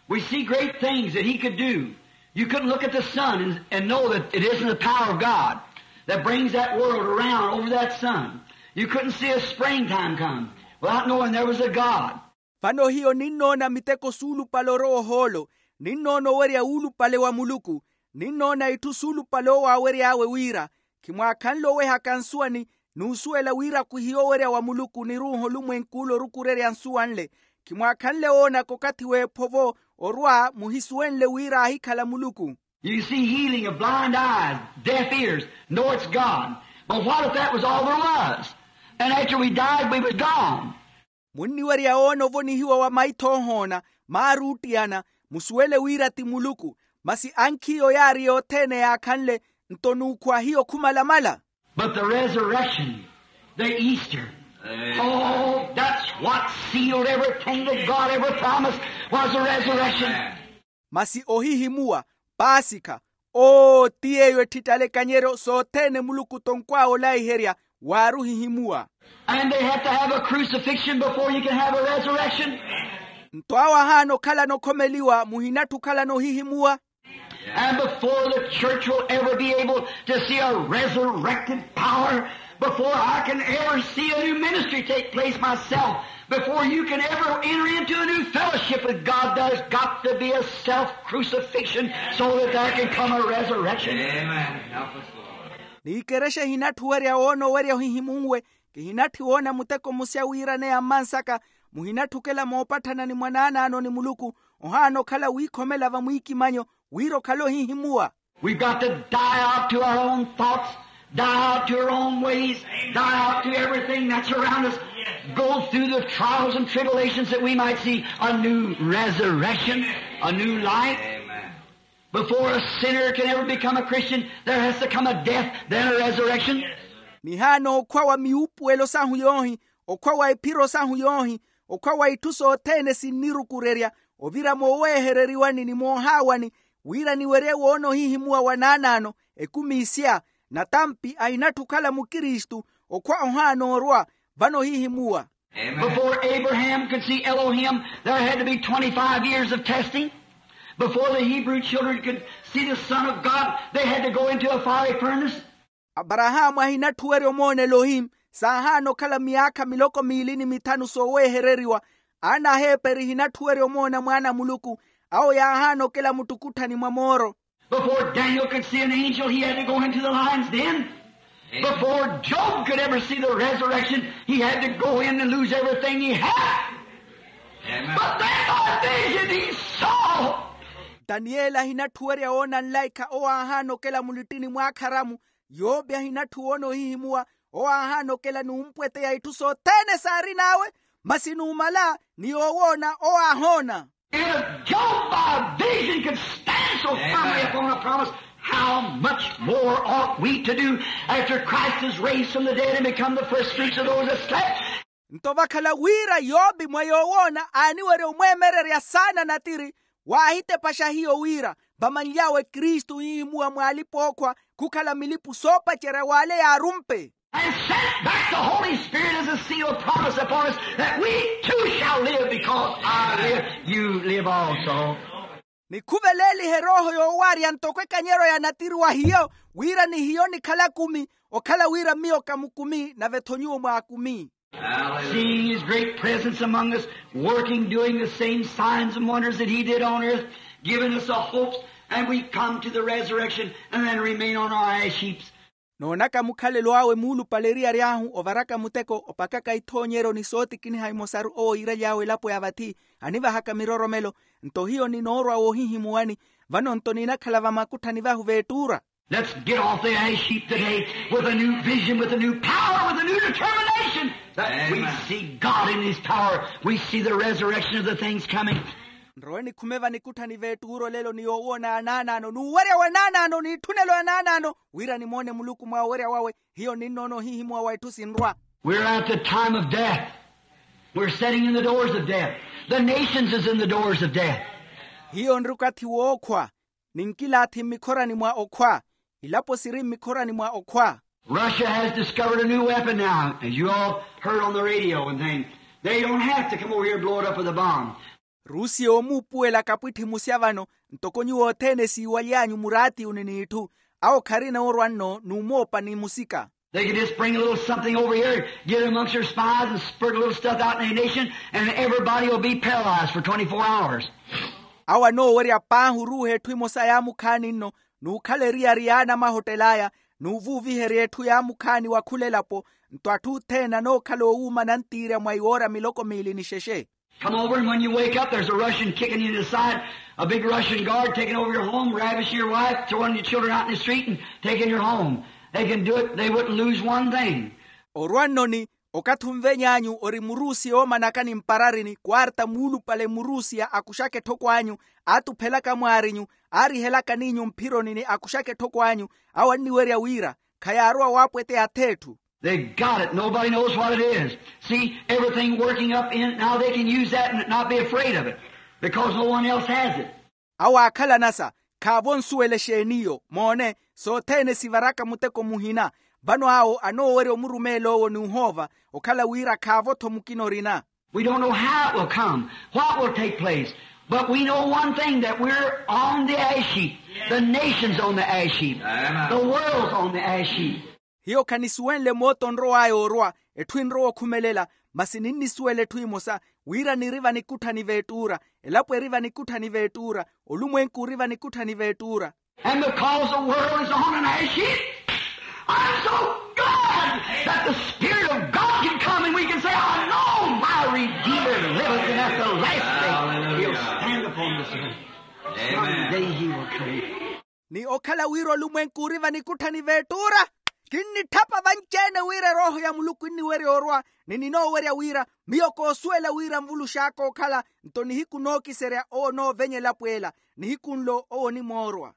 We see great things that he could do. You couldn't look at the sun and, and know that it isn't the power of God that brings that world around over that sun. You couldn't see a springtime come without knowing there was a God. Vano hiyo ninnoona miteko suulupale orowa ohoolo, ninnoona owerya wuulupale wa muluku, ninnoona itthu suulupale owo aawery'awe wira, khimwaakhanle owehaka nsuwani, n'usuwela wira khwihiya owerya wa muluku ni ruuha olumwenk'ule orukurerya nsuwa nle. Khimwaakhanle woonaka okathi w'ephovo orwa muhisuwenle wira aahikhala muluku. You see healing of blind eyes, deaf ears, know it's God. But what if that was all there was? And after we died we was gone. Munniwerya woona ovonihiwa wa maitho oohoona, maari oottiyana, musuwele wira ti muluku. Masi ankhiyo yaari yothene yaakhanle, nto n'ukhwa hiyo khumalamala. But the resurrection, the Easter, oh, that's what sealed everything that God ever promised, was the resurrection. Masi ohihimuwa, paasikha, oo ti yeeyo etthittalekanyeryo sothene muluku tonkw'awe olaiherya. Waari ohihimuwa. And they have to have a crucifixion before you can have a resurrection. Nto awo ahaana okhalana okhomeliwa muhinatthu okhalana ohihimuwa. And before the church will ever be able to see a resurrected power, before I can ever see a new ministry take place myself, before you can ever enter into a new fellowship with God, there's got to be a self-crucifixion so that there can come a resurrection. Amen. Help us, Lord. N'ikerexa ehinatthuwerya woona owerya ohihimunwe. Kihinatthi woona muteko musya wiiraneya mmansaka. Muhinatthi okela moopatthana ni mwanaanaano ni muluku, ohaana okhala wiikhomela vamwiikimanyo wira okhale ohihimuwa. We've got to die out to our own thoughts, die out to our own ways, die out to everything that's around us, go through the trials and tribulations that we might see a new resurrection, a new life. Before a sinner can ever become a Christian, there has to come a death, then a resurrection. Nihaana okhwa wa miyuupuwelo sahu yoohi, okhwa wa iphiro sahu yoohi, okhwa wa itthu sothene sinnirukurerya, ovira mooweehereriwani ni moohaawani, wira niwerye woona ohihimuwa wa naanaano, ekumi isya, natampi ahinatthi okhala mukristu, okhwa ohaana orwa. Vano ohihimuwa. Before Abraham could see Elohim, there had to be twenty-five years of testing. Before the Hebrew children could see the Son of God, they had to go into a fiery furnace. Aparahaamu ahinatthuwerya omoona elohimu. Saahaana okhala miyaakha miloko miili ni mithanu soowehereriwa. Aana a heperi ehinatthuwerya omoona mwaana a muluku. Awo yaahaana okela muttukutthani mwa mooro. Before Daniel could see an angel, he had to go into the lion's den. Before Job could ever see the resurrection, he had to go in and lose everything he had. But then by vision he saw. Taniyeli ahinatthuwerya woona nlaikha owo aahaana okela mulittini mwaakharamu. Yope ahinatthu woona ohihimuwa. Owo aahaana okela n'umpweteya itthu sothene saarin'awe. Masi numala ni yoowoona owo aahoona. And if Job by vision could stand so firmly upon a promise, how much more ought we to do after Christ is raised from the dead and become the first fruits of those that slept? Nto vakhala wira yopi mwa yoowoona aaniwerya omweemererya saana natiri. Waahitepaxa hiyo wira vamanly'awe kristu ohihimuwa mw'alipa-ookhwa khukhala milipu soopacerya w'ale yaarumpe. And sent back the Holy Spirit as a seal of promise upon us, that we too shall live, because I live, you live also. Ni khuvelelihe erooho yoowarya ntoko ekanyeryo ya natiri wa hiyo, wira ni hiyo nikhala kumi, okhala wira miyo ka mukumi nave-tho nyuwo mwaakumi. Seeing his great presence among us, working, doing the same signs and wonders that he did on earth, giving us a hope, and we come to the resurrection and then remain on our ash heaps. Noonaka mukhalelo awe muulupale eriyari ahu ovaraka muteko opakaka ithoonyeryo ni sootikiniha imosaru owo iiraly'awe elapo ya vathi, anivahaka miroromelo. Nto hiyo ninoorwa woohihimuwani, vano nto ninakhala vamakutthani vahu veettuura. Let's get off the ash heap today with a new vision, with a new power, with a new determination that we see God in his power. We see the resurrection of the things coming. Nrowe nikhume vanikutthani veettuura olelo ni yoowoona anaanaano n'uwerya wa naanaano n'itthunelo ya naanaano, wira nimoone muluku mwa owerya wawe. Hiyo ninnoona ohihimuwa wa itthu sinrwa. We're at the time of death. We're sitting in the doors of death. The nations is in the doors of death. Hiyo nri okathi w'okhwa. Ninkilaathi mmikhorani mwa okhwa. Ilapo siri mmikhorani mwa okhwa. Russia has discovered a new weapon now, as you all heard on the radio and things. They don't have to come over here and blow it up with a bomb. Rusia oomuupuwela kapwitthi musya vano. Ntoko nyuwo othene siiwaly'anyu muraatiyuni n'itthu. Awo kharina orwa nno n'umoopa ni musika. They can just bring a little something over here, get it amongst their spies, and spurt a little stuff out in the nation, and everybody will be paralyzed for twenty-four hours. Awo anoowerya paahi oruuha etthu emosa yaamukhaani nno, n'ukhala eriyari y'anamahottel'aya, n'uvuuviherya etthu yaamukhaani wa khula elapo. Nto atthu othene anookhala oowuuma nantiirya mwa iwoora miloko miili ni xexe. Come over, and when you wake up, there's a Russian kicking you in the side, a big Russian guard taking over your home, ravishing your wife, throwing your children out in the street, and taking your home. They can do it, they wouldn't lose one thing. Orwa nnoni, okathi onveny'anyu ori murusiya oomanaka ni mpararini, kwarta muulupale murusiya akuxaka etthoko anyu, aatuphelaka mwaarinyu, aarihelaka n'inyu mphironi ni akuxaka etthoko anyu. Awo anniwerya wira khayaarowa waapweteya ath'etthu. They got it. Nobody knows what it is. See, everything working up in it now, they can use that and not be afraid of it because no one else has it. Awo aakhalanasa, khaavo nsuwele exeeniyo. Moone, sothene sivaraka muteko muhina. Vano awo anoowerya omurumeel'owo n'uhoova, okhala wira khaavo-tho mukina orina. We don't know how it will come, what will take place, but we know one thing, that we're on the ash heap. The nation's on the ash heap. The world's on the ash heap. Hiyo khanisuwenle moota onrow'aya orwa, etthu enrowa okhumelela. Masi ninnisuwela etthu emosa, wira niri vanikutthani veettuura, elapo eri vanikutthani veettuura, olumwenku ori vanikutthani veettuura. And because the world is on an ash heap, I'm so glad that the Spirit of God can come and we can say, I know my Redeemer liveth, and at the last day he'll stand upon this earth. Someday he will come. Ni okhala wira olumwenku ori vanikutthani veettuura, kinnitthapa vanci-ene wira erooho ya muluku enniwerya orwa, ni ninoowerya wira miyo koosuwela wira nvulux'aka okhala. Nto nihiku nookiserya owo onoovenya elapo ela, nihiku nlo owo onimoorwa.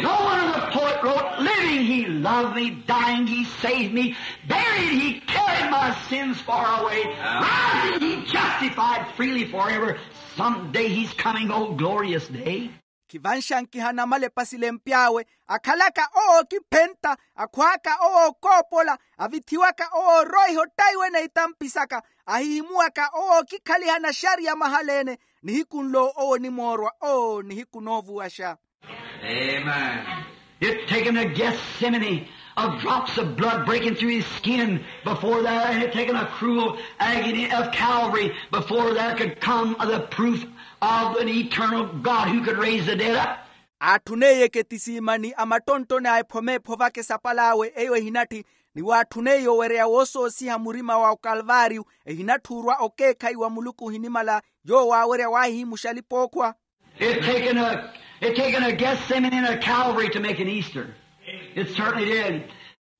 No wonder the poet wrote, living he loved me, dying he saved me, buried he carried my sins far away, rising he justified freely forever. Someday he's coming, oh glorious day. Khivanxankiha anamala epasi lempy'awe, akhalaka owo ookiphenta, akhwaaka owo ookoopola, avithiwaka owo ooroiha ottaiwene itampi saka, Ahihimuwaka owo okikhaliha naxariya mahala-ene. Nihiku nlo owo onimoorwa oo nihiku noovuwaxa. Amen. It taken a Gethsemane of drops of blood breaking through his skin before there, and it taken a cruel agony of Calvary before there could come the proof of an eternal God who could raise the dead up. Aatthuneiye ketisimani a mattonttoni a ephomeepho vaka esapal'awe eyo ehinatthi. Ni waatthuneiye owereya woosoosiha murima wa okalvaariyu ehinatthi orwa okeekhayi wa muluku ohinimala. Yoowo aawerya waahihimuxa alipa ookhwa. It taken a, it taken a Gethsemane and a Calvary to make an Easter. It certainly did.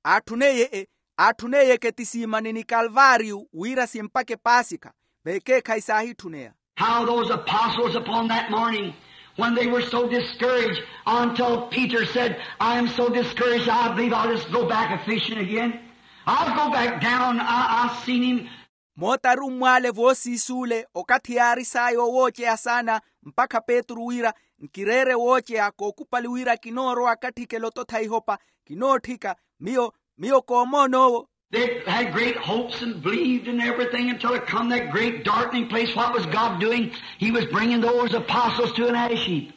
Aatthuneiye e, aatthuneiye ketisimani ni kalvaariyu wira simpakhe paasikha. Veekeekhayi saahitthuneya. How those apostles upon that morning, when they were so discouraged, until Peter said, I am so discouraged, I believe I'll just go back a fishing again. I'll go back down. I, I've seen him. Moota arummwaale voosiisuule okathi yaari saaya owooceya saana, mpakha petru wira, nkireere wooceya kookupali wira kinoorowa akatthikela ototha ihopa. Kinootthika. Miyo, miyo koomoon'owo. They had great hopes and believed in everything until it come that great darkening place. What was God doing? He was bringing those apostles to an ash heap.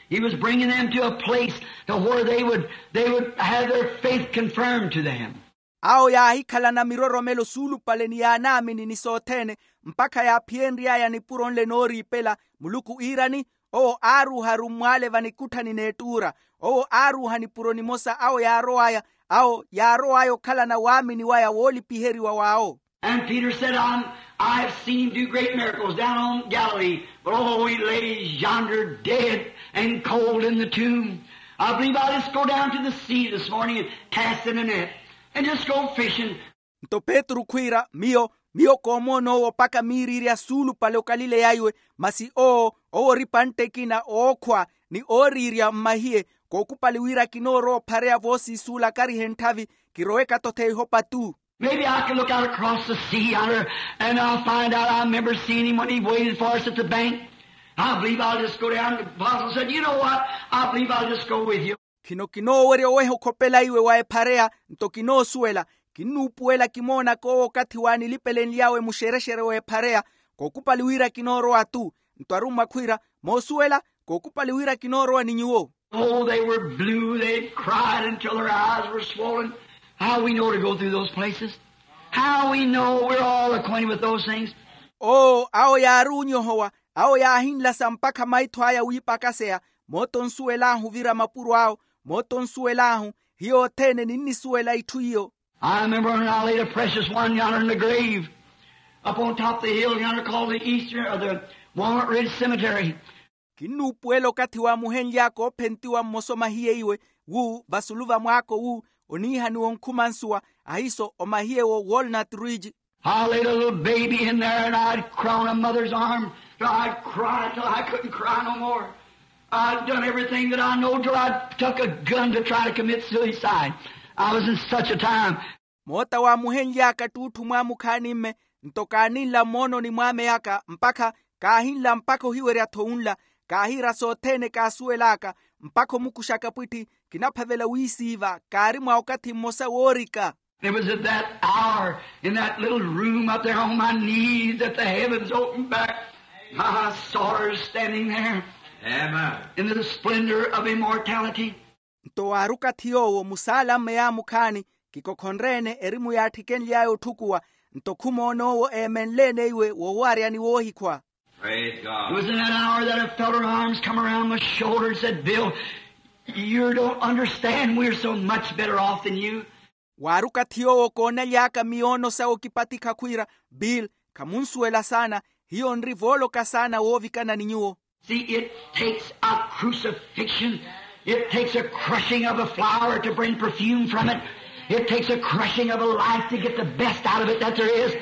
He was bringing them to a place to where they would, they would have their faith confirmed to them. Awo yaahikhalana miroromelo suulupale ni yaanaamini ni sothene, mpakha yaaphiyenry'aya nipuro nle nooriipela. Muluku iirani, owo aaruuha arummwaale vanikutthani n'ettuura. Owo aaruuha nipuro nimosa awo yaarow'aya, awo yaarow'aya okhalana waamini waya woolipiheriwa w'awo. And Peter said, I have seen him do great miracles down on Galilee, but oh, he lays yonder dead and cold in the tomb. I believe I'll just go down to the sea this morning and cast in a net and just go fishing. Nto petru khwiira, miyo, miyo koomoon'owo mpakha miiriirya suulupale okalileya iwe. Masi owo, owo ori pantte ekina ookhwa ni ooriirya mmahiye, kookupali wira kinoorowa ophareya voosiisuula akarihe ntthavi. Kirowe katothe ihopa tu. Maybe I can look out across the sea yonder, and I'll find out. I remember seeing him when he waited for us at the bank. I believe I'll just go down. The apostle said, you know what? I believe I'll just go with you. Khino kinoowerya oweha okhopela iwe wa ephareya. Nto kinoosuwela, kinnuupuwela kimoonaka owo okathi waanilipelenly'awe muxerexere w'ephareya. Kookupali wira kinoorowa tu. Nto arummwa khwiira, moosuwela, kookupali wira kinoorowa ni nyuwo. Oh, they were blue. They cried until their eyes were swollen. How we know to go through those places? How we know? We're all acquainted with those things. Oo, awo yaari onyohowa, awo yaahinlasa mpakha maitho aya wiipakaseya. Moota onsuwel'ahu ovira mapuro awo. Moota onsuwel'ahu. Hiyo othene ninnisuwela itthu iyo. I remember when I laid a precious one yonder in the grave up on top of the hill yonder called the Eastern or the Walnut Ridge Cemetery. Kinnuupuwela okathi waamuhenly'aka oophentiwa mmosa omahiye iwe, wu vasulu va mwaako wu oniihaniwa onkhumansuwa, ahiiso omahiye wo Walnut Ridge. I laid a little baby in there and I'd cry on a mother's arm till I'd cry till I couldn't cry no more. I'd done everything that I know till I took a gun to try to commit suicide. I was in such a time. Moota waamuhenly'aka ttuutthu mwaamukhaani-mme. Nto kaaninla mmoononi mwaameyaka mpakha, kaahinla mpakha ohiwerya-tho wunla. Kaahiira sothene kaasuwel'aka, mpakha omukuxaka pwitthi. Kinaphavela wiisiiva, kaari mwa okathi mmosa woorika. It was at that hour in that little room up there on my knees that the heavens opened back. I saw her standing there. Amen. In the splendor of immortality. Nto waari okathi yoowo musaala-mme yaamukhaani, kikokhonre-ene erimu yaatthikenly'aya otthukuwa. Nto khumoona owo eemenle-ene iwe wowaarya ni woohikhwa. Praise God. It was in that hour that I felt her arms come around my shoulder and said, Bill, you don't understand. We're so much better off than you. Waari okathi yoowo koonaly'aka miyoono sawe okipatikha khwiira, Bill, khamunsuwela saana. Hiyo nri vooloka saana woovikana ni nyuwo. See, it takes a crucifixion. It takes a crushing of a flower to bring perfume from it. It takes a crushing of a life to get the best out of it that there is.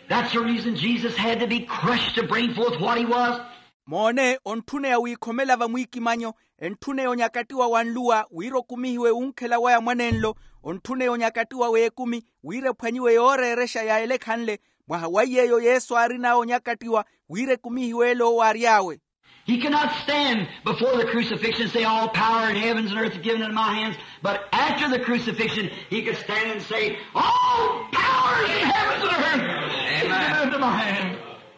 That's the reason Jesus had to be crushed to bring forth what he was. Moone, ontthuneya wiikhomela vamwiikimanyo, entthuneya onyakattiwa wa nluwa wira okumihiwe wunkhela waya mwanenlo. Ontthuneya onyakattiwa w'ekumi wira ephwanyiwe yooreerexa ya elekhanle. Mwaha wa iy'eyo yesu aarin'awe onyakattiwa wira ekumihiwe ele owo aary'awe. He cannot stand before the crucifixion and say, all power in heavens and earth is given into my hands. But after the crucifixion, he could stand and say, all power in heavens and earth.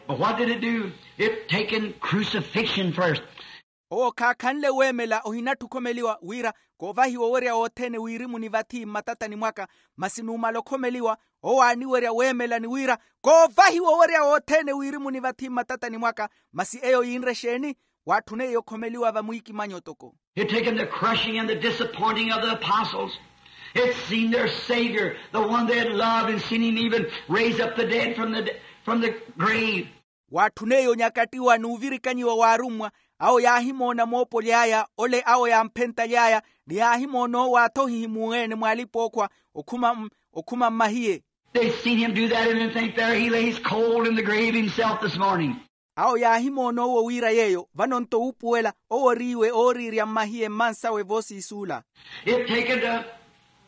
But what did it do? It taken crucifixion first. Owo khaakhanle weemela ohinatthu okhomeliwa wira koovahiwa owerya wothene wirimu ni vathi mmatatani mwaka. Masi numala okhomeliwa owo aaniwerya weemela ni wira koovahiwa owerya wothene wirimu ni vathi mmatatani mwaka. Masi eyo yiinre exeeni? Waatthuneiye okhomeliwa vamwiikimanyi otoko. It taken the crushing and the disappointing of the apostles. It seen their savior, the one they had loved and seen him even raise up the dead from the from the grave. Waatthuneiye onyakattiwa n'uvirikanyiwa w'arummwa awo yaahimoona moopoly'aya ole awo yaamphentaly'aya ni yaahimoona owo aathohihimuwe-ene mw'alipa-ookhwa okhuma mmahiye. They seen him do that and think there he lays cold in the grave himself this morning. Awo yaahimoona owo wira yeeyo vano nto wuupuwela owo oriiwe ooriirya mmahiye mmansawe voosiisuula. It taken to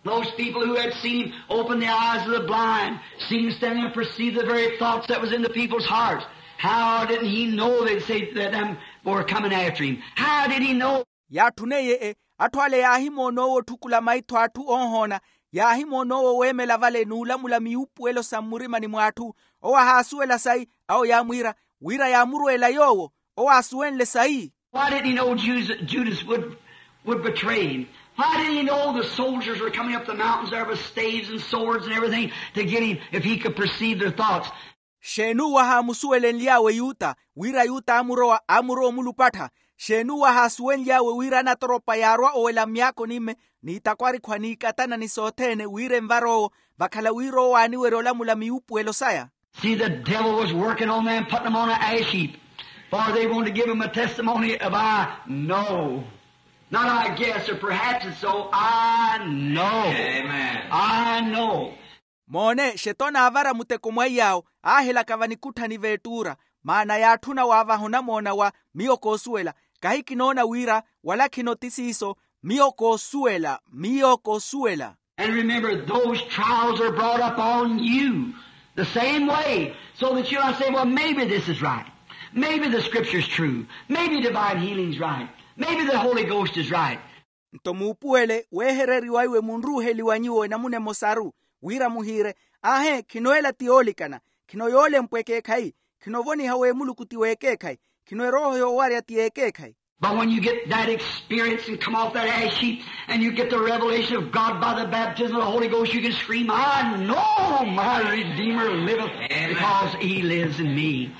those people who had seen him open the eyes of the blind, seen him standing and perceive the very thoughts that was in the people's hearts. How didn't he know they'd say that them were coming after him? How did he know? Yaatthuneiye e atthu ale yaahimoona owo otthukula maitho a atthu oohoona. Yaahimoona owo weemela vale n'ulamula miyuupuwelo sa mmurimani mw'atthu. Owo ahaasuwela sayi awo yaamwiira wira yaamurweela yoowo. Owo aasuwenle sayi. Why didn't he know Judas would betray him? Why didn't he know the soldiers were coming up the mountains there with staves and swords and everything to get him if he could perceive their thoughts? Xeeni uwo ahaamusuwelenly'awe yuta wira yuta aamurowa aamurowa omulupattha? Xeeni uwo ahaasuwenly'awe wira anatoropa yaarwa owela myaakoni-me n'itakwarikhu aniikatana ni sothene wira envar'owo vakhala wira owo aaniwerya olamula miyuupuwelo saya? See, the devil was working on them putting them on an ash heap, for they wanted to give him a testimony of I know. Not I guess or perhaps it's so. I know. I know. Moone xetona aavara muteko mwa iy'awo aahelaka vanikutthani veettuura. Maana yaatthuna waavaha onamoona wa miyo koosuwela. Kahi kinoona wira wala khino ti siiso. Miyo koosuwela miyo koosuwela. And remember those trials are brought up on you the same way, so that you might say, well, maybe this is right. Maybe the scripture's true. Maybe divine healing's right. Maybe the holy ghost is right. Nto muupuwele weehereriwa iwe munruuheliwa nyuwo enamuna emosaru wira muhiire, aahe khino ela ti yoolikana. Khino yoolempwa ekeekhayi. Khinovoniha w'emuluku ti w'ekeekhayi. Khino erooho yoowarya ti y'ekeekhayi. But when you get that experience and come off that ash heap and you get the revelation of God by the baptism of the holy ghost, you can scream, I know my redeemer liveth, because he lives in me.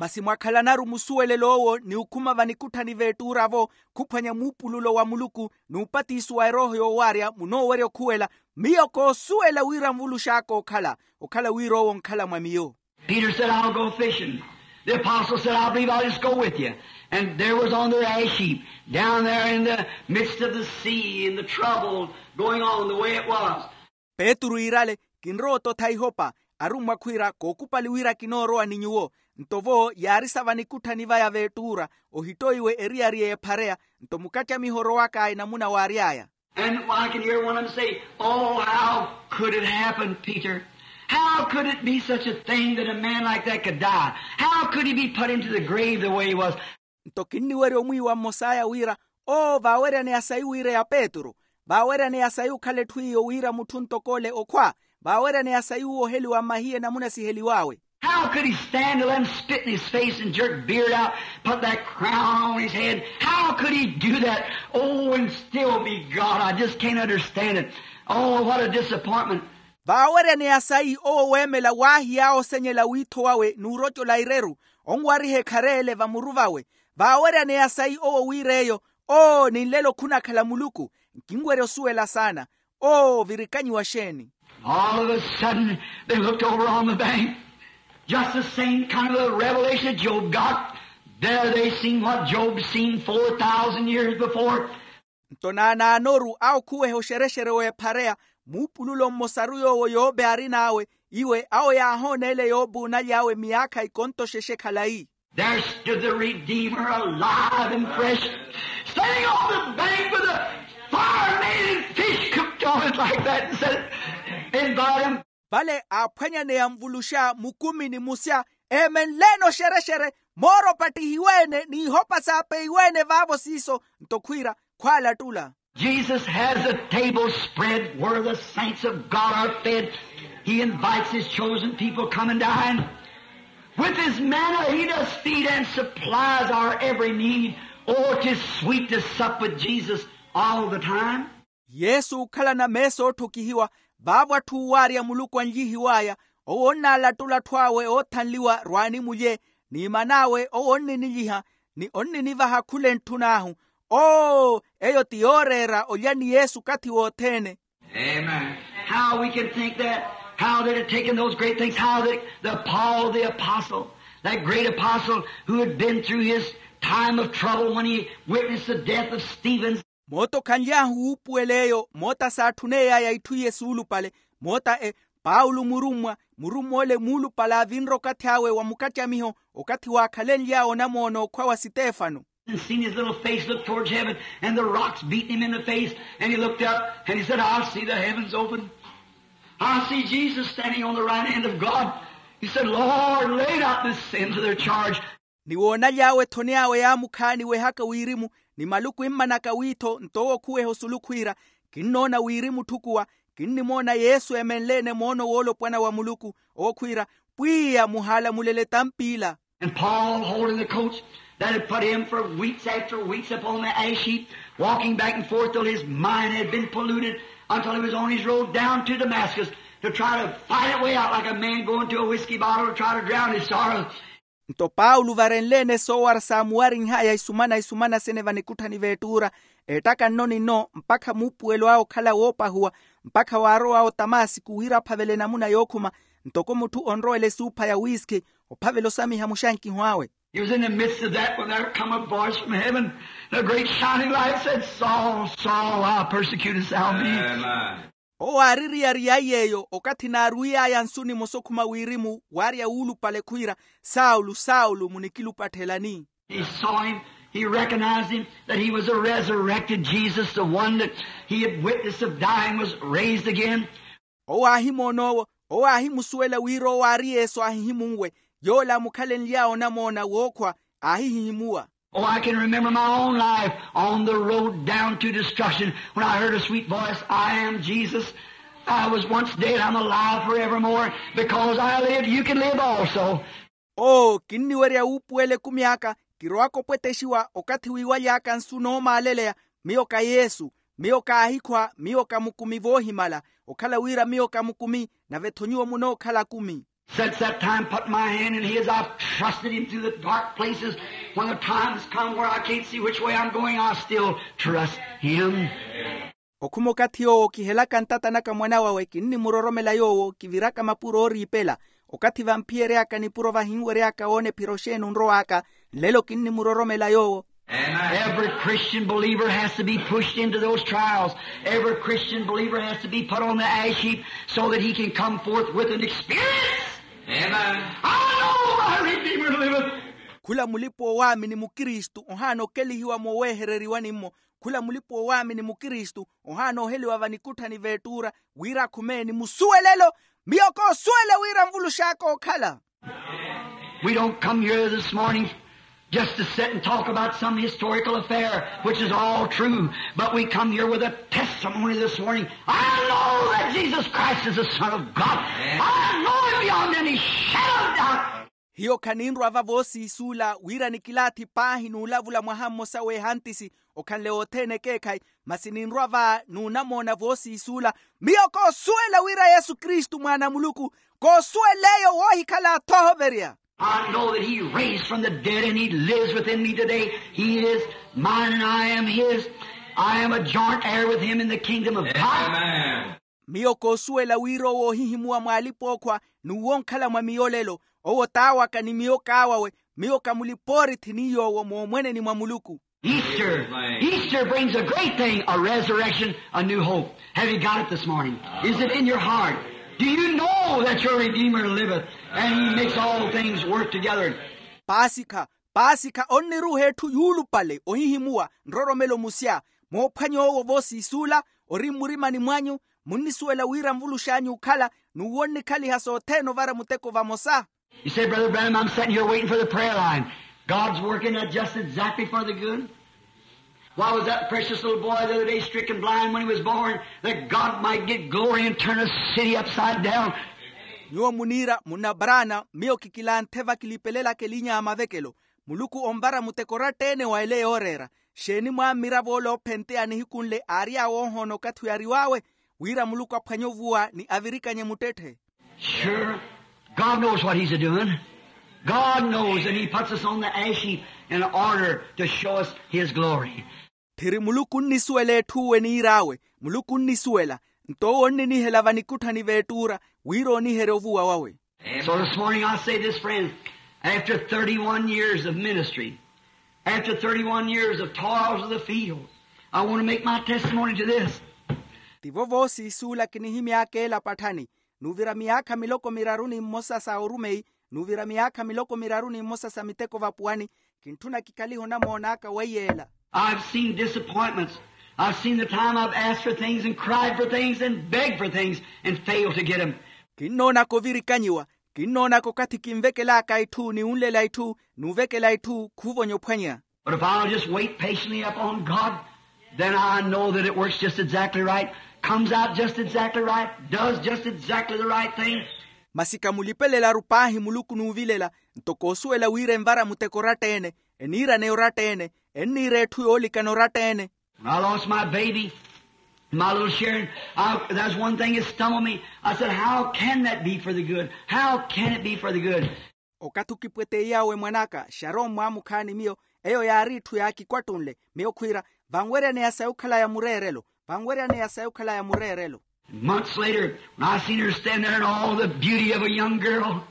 Masi mwakhalanaru musuwelelo owo ni okhuma vanikutthani veettuura-vo khuphwanya muupululo wa muluku n'upatiso wa erooho yoowarya munoowerya okhuwela. Miyo koosuwela wira nvulux'aka okhala okhala wira owo onkhala mwa miyo. Peter said, I'll go fishing. The apostle said, I believe I'll just go with you. And there was on the ash heap down there in the midst of the sea and the trouble going on the way it was. Petru iirale kinrowa ototha ihopa. Arummwa khwiira kookupali wira kinoorowa ni nyuwo. Nto vo yaarisa vanikutthani vaya veettuura ohittoiwe eriyari y'ephareya. Nto mukattya miho orowaka enamuna waary'aya. And I can hear one of them say, oh, how could it happen, Peter? How could it be such a thing that a man like that could die? How could he be put into the grave the way he was? Nto kinniwerya omwiiwa mmos'aya wira oo vaaweryaneya sayi wiireya petru? Vaaweryaneya sayi okhala etthu iyo wira mutthu ntok'ole okhwa? Vaaweryaneya sayi uwo oheliwa mmahiye namuna siheliw'awe? How could he stand to let 'em spit in his face and jerk beard out, put that crown on his head? How could he do that? Oh, and still be God. I just can't understand it. Oh, what a disappointment. Vaaweryaneya sayi owo weemela waahiya oosenyela wiitho wawe n'urocola ireru onwariha ekhareele vamuru vawe? Vaaweryaneya sayi owo wiir'eyo? Oo ni nlelo khunakhala muluku. Nkinwerya osuwela saana. Oo virikanyiwa xeeni? All of a sudden they looked over on the bank. Just the same kind of a revelation that Job got. There they seen what Job seen four thousand years before. Nto naanaanoru awo khuweha oxerexere w'ephareya muupululo mmosaru yoowo yobe aarin'awe. Iwe awo yaahoona ele yobe oonaly'awe miyaakha ikonto xexe khalayi. There stood the Redeemer alive and fresh, standing on the bank with a fire made and fish cooked on it like that, and said, invite him. Vale aaphwanyaneya nvuluxa mukumi ni musya eemenle-ene oxerexere mooro opattihiwe-ene n'ihopa saapeiwe-ene vaavo siiso. Nto khwiira khwaalattula. Jesus has a table spread where the saints of God are fed. He invites his chosen people, come and dine. With his manna he does feed and supplies our every need. Oh, 'tis sweet to sup with Jesus all the time. Yesu okhalana meesa ootthukihiwa. Vaavo atthu owaarya muluku anlyihiw'aya, owo onnaalatula atthu awe oothanliwa rwaani mulye, ni man'awe owo onninilyiha, ni onninivaha khula entthun'ahu. Oo, eyo ti yooreera olya ni yesu okathi wothene. Amen. How we can think that, how they'd have taken those great things, how the, the Paul the apostle, that great apostle who had been through his time of trouble when he witnessed the death of Stephen. Moota okhanly'ahu wuupuwela eyo moota saatthuney'aya itthu iye suulupale. Moota e, paulo murummwa murummwa ole muulupale aavinre okathi awe wa mukacamiho, okathi waakhalenly'awe onamoona okhwa wa sitefano. And seen his little face look towards heaven, and the rocks beating him in the face, and he looked up and he said, "I see the heavens open. I see Jesus standing on the right hand of God." He said, "Lord, lay not this sin to their charge." Ni woonaly'awe ethoni awe yaamukhaani wehaka wirimu, ni maluku immanaka wiitho nto owo okhuweha osulu khwiira, kinnoona wirimu otthukuwa. Kinnimoona yesu eemenle-ene moono woolopwana wa muluku, owo khwiira, pwiya muhaalamulele etampiila. And Paul holding the coach that had put him for weeks after weeks upon the ash heap, walking back and forth till his mind had been polluted, until he was on his road down to Damascus to try to fight a way out like a man going to a whiskey bottle to try to drown his sorrow. Nto paulo varenle-ene soowara saamuwarinh'aya isumana isumana sene vanikutthani veettuura, eettaka nno ni nno mpakha muupuwelo awe okhala woopahuwa, mpakha waarowa otamasiku wira aphavele enamuna yookhuma, ntoko mutthu onrowela esuupha ya wiskhi ophavela osamiha muxankiho awe. He was in the midst of that when there come a voice from heaven, the great shining light said, "Saul, Saul, why persecutest thou me?" Amen. Owo aaririya-riya yeeyo okathi naaruwiy'aya nsu nimosa okhuma wirimu waarya wuulupale khwiira, saulo saulo munikilupatthelani? He saw him. He recognized him, that he was a resurrected Jesus, the one that he had witnessed of dying was raised again. Owo aahimoon'owo, owo aahimusuwela wira owo aari yesu aahihimunwe, yoola amukhalenly'awe onamoona wookhwa aahihihimuwa. Oh, I can remember my own life on the road down to destruction when I heard a sweet voice, "I am Jesus. I was once dead, I'm alive forevermore. Because I lived, you can live also." Oo kinniwerya wuupuwela ekumi aka, kirowaka opwettexiwa okathi wiiwaly'aka nsu noomaaleleya, miyo ka yesu, miyo kaahikhwa, miyo ka mukumi voohimala, okhala wira miyo ka mukumi, nave-tho nyuwo munookhala akumi. Since that time, put my hand in his, I've trusted him through the dark places. When the time's come where I can't see which way I'm going, I still trust him. Okhuma okathi yoowo kihelaka ntata naka mwana wawe kinnimuroromela yoowo kiviraka mapuro ooriipela. Okathi vamphiyery'aka nipuro vahinwery'aka woona ephiro xeeni onrow'aka, nlelo kinnimuroromela yoowo. Every Christian believer has to be pushed into those trials. Every Christian believer has to be put on the ash heap so that he can come forth with an experience. Amen. I know my Redeemer liveth. Khula mulipa-owaamini mukristu ohaana okelihiwa moowehereriwani-mmo. Khula mulipa-owaamini mukristu ohaana oheliwa vanikutthani veettuura, wira akhume ni musuwelelo, miyo koosuwela wira nvulux'aka ookhala. We don't come here this morning just to sit and talk about some historical affair, which is all true, but we come here with a testimony this morning. I know that Jesus Christ is the Son of God. I know it beyond any shadow of doubt. Hiyo khaninrwa va voosiisuula wira nikilaathi paahi n'ulavula mwaha mmosa w'ehantisi, okhanle othene ekeekhayi, masi ninrwa va n'unamoona voosiisuula. Miyo koosuwela wira yesu kristu mwaana a muluku. Koosuwela eyo woohikhala athu ahoverya. I know that he raised from the dead and he lives within me today. He is mine and I am his. I am a joint heir with him in the kingdom of God. Miyo koosuwela wira owo oohihimuwa mwaalipa-ookhwa, n'uwo onkhala mwa miyo olelo. Owo t'awaka ni miyo k'awawe. Miyo ka mulipa-oorithi ni yoowo moomweneni mwa muluku. Easter brings a great thing, a resurrection, a new hope. Have you got it this morning? Is it in your heart? Do you know that your Redeemer liveth and he makes all things work together? Paasikha, paasikha onniruuha etthu yuulupale ohihimuwa nroromelo musya. Moophwanya owo voosiisuula ori mmurimani mwanyu. Munnisuwela wira nvulux'anyu okhala n'uwo onnikhaliha sothene ovara muteko vamosa. You say, "Brother Branham, I'm sitting here waiting for the prayer line. God's working that just exactly for the good." Why was that precious little boy the other day stricken blind when he was born? That God might get glory and turn a city upside down. Nyuwo muniira munna brana, miyo kikilanthe vakilipelelaka elinya ya mavekelo. Muluku onvara muteko oratta-ene wa ele yooreera. Xeeni mwammiravo ole oophenteya nihiku nle aary'awe oohoona okathi oyariw'awe, wira muluku aphwanye ovuwa ni avirikanye muttetthe. Sure. God knows what he's a-doing. God knows, and he puts us on the ash heap in order to show us his glory. Tthiri muluku onnisuwela etthu uwo eniir'awe. Muluku onnisuwela. Nto owo onninihela vanikutthani v'ettuura, wira ooniherye ovuwa wawe. So this morning I say this, friends, after thirty-one years of ministry, after thirty-one years of toils of the field, I want to make my testimony to this. Tivo voosiisuula kinihimy'aka ela patthani. Nuuvira miyaakha miloko miraru ni mmosa sa orumeyi, nuuvira miyaakha miloko miraru ni mmosa sa miteko vapuwani. Kintthuna kikhalihe onamoon'aka weiyeela. I've seen disappointments. I've seen the time I've asked for things and cried for things and begged for things and failed to get them. Kinnoonaka ovirikanyiwa. Kinnoonaka okathi kinvekel'aka itthu ni wunlela itthu n'uvekela itthu khuuvonya ophwanya. But if I'll just wait patiently upon God, then I know that it works just exactly right, comes out just exactly right, does just exactly the right thing. Masi kamulipelelaru paahi muluku n'uvilela. Nto koosuwela wira envara muteko oratta-ene, eniiraneya oratta-ene, enniira etthu yoolikana oratta-ene. When I lost my baby, my little Sharon, I, that's one thing that stumbled me. I said, how can that be for the good? How can it be for the good? Okathi okipweteiy'awe mwan'aka xaroon mwaamukhaani miyo, eyo yaari itthu yaakikwattunle. Miyo khwiira, vanweryaneya sayi okhalaya mureerelo. Vanweryaneya sayi okhalaya mureerelo. Months later, when I seen her stand there in all the beauty of a young girl,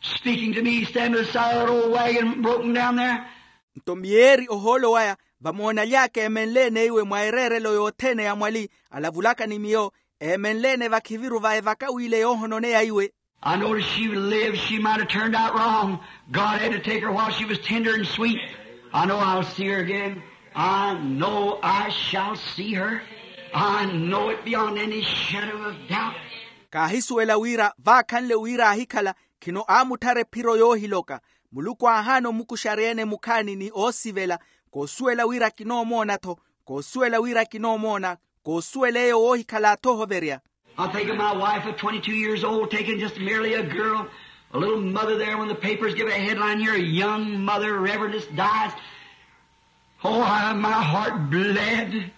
speaking to me, standing beside that old wagon broken down there. Nto miyeeri ohoolo waya, vamoonaly'aka eemenle-ene iwe mwa ereerelo yothene ya mwali, alavulaka ni miyo, eemenle-ene vakhiviru va evaka w'ile yoohononeya iwe. I know if she lived, she might have turned out wrong. God had to take her while she was tender and sweet. I know I'll see her again. I know I shall see her. I know it beyond any shadow of doubt. Kaahisuwela wira vaakhanle wira aahikhala, khino aamutthara ephiro yoohiloka. Muluku aahaana omukuxarya-ene mukhaani ni oosivela. Koosuwela wira kinoomoona-tho. Koosuwela wira kinoomoona. Koosuwela eyo woohikhala-tho ohoverya. I think of my wife of twenty-two years old, taking just merely a girl, a little mother there when the papers give a headline here, a young mother, Reverendess dies. Oh, I, my heart bled.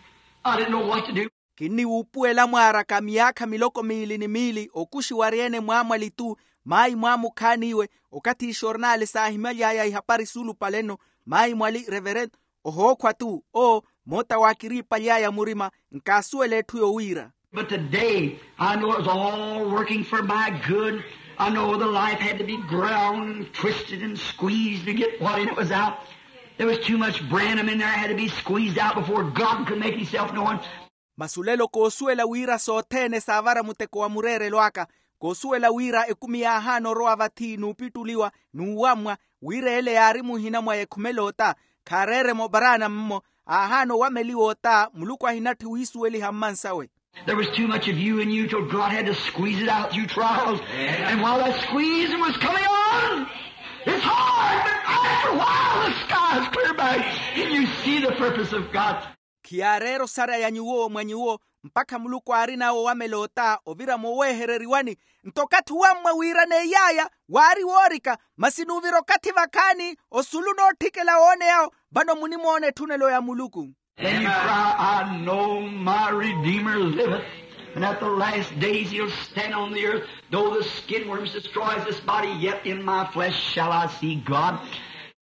I didn't know what to do. Kinniwuupuwela mwaaraka miyaakha miloko miili ni miili okuxiwarya-ene mwaamwali-tu, maayi mwaamukhaani iwe, okathi ixornaali saahimaly'aya ihapari suulupale-no, maayi mwali reverendo, ohookhwa-tu, oo, moota waakiriipaly'aya murima, nkaasuwela etthu yowiira. But today, I know it was all working for my good. I know the life had to be ground and twisted and squeezed to get what in it was out. There was too much Branham in there, had to be squeezed out before God could make himself known. Masi olelo koosuwela wira sothene saavara muteko wa mureerelo aka. Koosuwela wira ekumi yaahaana orowa vathi n'upittuliwa, n'uwammwa, wira ele yaari muhina mwa ekhumela ota. Khaareeremo brana mmo, aahaana owameliwa ota muluku ahinatthi wiisuweliha mmansawe. There was too much of you in you till God had to squeeze it out through trials. And while that squeezing was coming on, it's hard, but after a while the sky is clear back and you see the purpose of God. Khiyaareera osaraya nyuwo mwa nyuwo, mpakha muluku aarinawe owamela ota ovira mooweehereriwani. Nto okathi owammwa wiiraneiy'aya waari woorika, masi nuuvira okathi vakhaani osulu nootthikela wooneyawo. Vano munimoona etthunelo ya muluku. Then you cry, I know my Redeemer liveth, and at the last days he'll stand on the earth. Though the skin worms destroys this body, yet in my flesh shall I see God.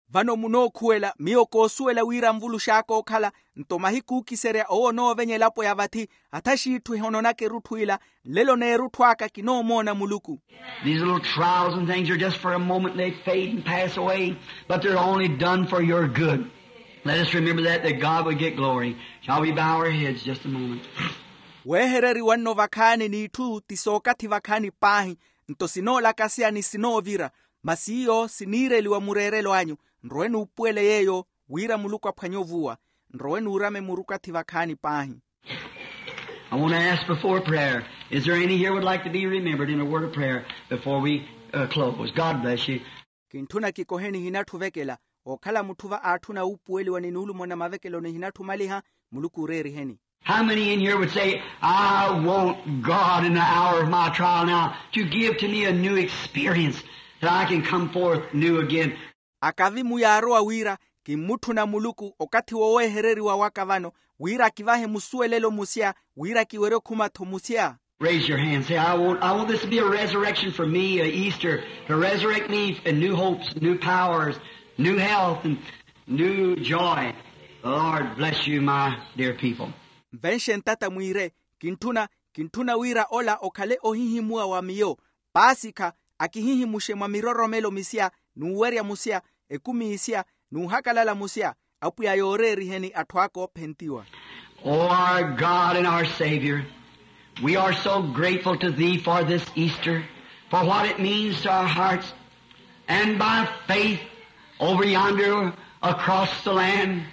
Vano munookhuwela miyo koosuwela wira anvulux'aka okhala. Nto mahiku ookiserya owo onoovenyela elapo ya vathi, athaxiitthu ehononaka erutthu ila. Nlelo n'erutthu aka kinoomoona muluku. These little trials and things are just for a moment, they fade and pass away, but they're only done for your good. Let us remember that, that God will get glory. Shall we bow our heads just a moment? Weehereriwa nno vakhaani n'itthu ti sookathi vakhaani paahi. Nto sinoolakaseya ni sinoovira, masi iyo siniireliwa mureerelo anyu. Nrowe nuupuwele yeeyo wira muluku aphwanye ovuwa. Nrowe nuurame murukathi vakhaani paahi. I want to ask before prayer, is there any here would like to be remembered in a word of prayer before we uh, close? God bless you. Kintthuna kikoheni hinatthu ovekela. Ookhala mutthu va aatthuna wuupuweliwa ni nuulumona mavekelo nihinatthu omaliha. Muluku ooreeriheni. How many in here would say, I want God in the hour of my trial now to give to me a new experience that I can come forth new again? Akavi muyaarowa wira, kimmutthuna muluku okathi woowehereriwa waka vano, wira akivahe musuwelelo musya, wira kiwerye okhuma-tho musya. Raise your hand and say, I want, I want this to be a resurrection for me, a Easter, to resurrect me in new hopes, new powers, new health, and new joy. The Lord bless you, my dear people. Nvenxe ntata mwiire, kintthuna, kintthuna wira ola okhale ohihimuwa wa miyo. Paasikha, akihihimuxe mwa miroromelo misya, n'uwerya musya, ekumi isya, n'uhakalala musya, apwiya yooreeriheni atthu aka oophentiwa. O our God and our Savior, we are so grateful to Thee for this Easter, for what it means to our hearts. And by faith, over yonder, across the land,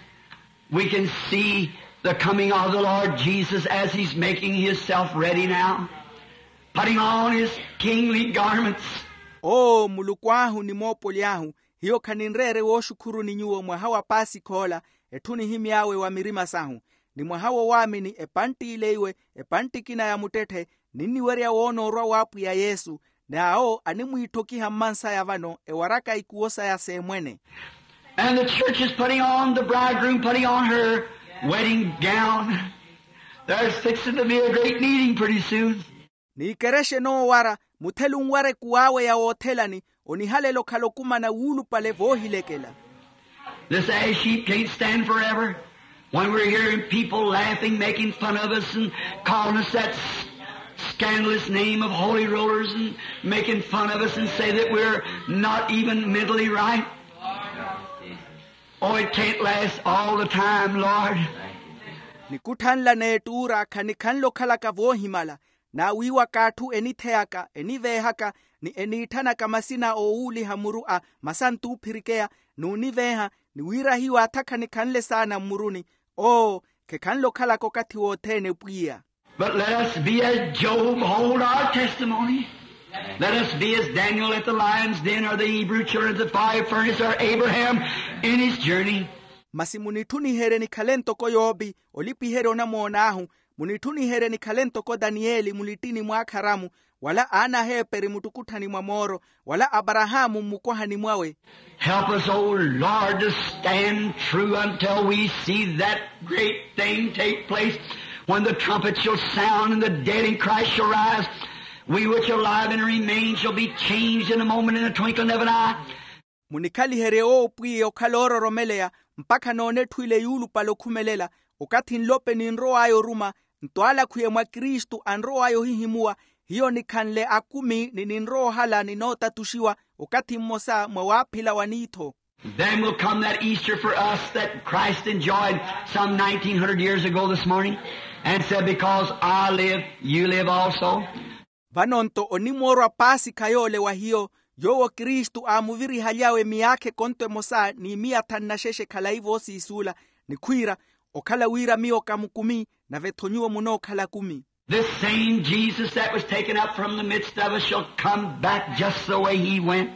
we can see the coming of the Lord Jesus as He's making Himself ready now, putting on His kingly garments. Oo muluku ahu ni moopoli ahu, hiyo khaninreere wooxukhuruni nyuwo mwaha wa paasikha ola, etthu nihimy'awe wa mirima sahu, ni mwaha wo waamini epantti ile iwe, epantti ekina ya muttetthe, ninniwerya woona orwa w'apwiya yesu. N'awo animwiitthokiha mmansaya vano ewaraka ikuwo saya s'emwene. And the church is putting on, the bridegroom putting on her wedding gown. There's fixing to be a great meeting pretty soon. N'ikerexe noowara, muthelu onwara ekuw'awe ya woothelani, onihalela okhala okumana wuulupale voohilekela. This ash heap can't stand forever. When we're hearing people laughing, making fun of us, and calling us that s- scandalous name of holy rollers, and making fun of us and say that we're not even mentally right. Oh, it can't last all the time, Lord. Nikutthanla n'ettuura khanikhanle okhalaka voohimala, n'awiiwaka atthu enitheyaka, eniveehaka, ni eniitthanaka masina oowuuliha muru a masantu oophirikeya, n'univeeha, ni wira hiyo atha khanikhanle saana mmuruni. Oo, khekhanle okhalaka okathi wothene pwiya. But let us be as Job, hold our testimony. Let us be as Daniel at the lion's den, or the Hebrew children at the fiery furnace, or Abraham in his journey. Masi munitthuniherye nikhale ntoko yoopi, olipiherya onamoon'ahu, munitthuniherye nikhale ntoko daniyeli mulittini mw'akharamu, wala aana a heeperi muttukutthani mwa mooro, wala aparahaamu mmukwahani mwawe. Help us, O Lord, to stand true until we see that great thing take place, when the trumpet shall sound and the dead in Christ shall rise. We which are alive and remain shall be changed in a moment, in a twinkling of an eye. Munikhaliherye owo pwiya okhala oororomeleya, mpakha noone etthu ile yuulupale okhumelela, okathi nlope ninrow'aya oruma, nto ala akhwiye mwa kristu anrow'aya ohihimuwa, hiyo nikhanle akumi ni ninrowa ohala ninootatuxiwa, okathi mmosa mwa waaphila wa niitho. Then will come that Easter for us that Christ enjoyed some nineteen hundred years ago this morning, and said, because I live, you live also. Vano nto onimoorwa paasikha yoole wa hiyo, yoowo kristu aamuvirihaly'awe miyaakha ekonto emosa ni miya thanu na xexe khalayi voosiisuula, ni khwiira, okhala wira miyo kamukumi, nave-tho nyuwo munookhala akumi. This same Jesus that was taken up from the midst of us shall come back just the way He went.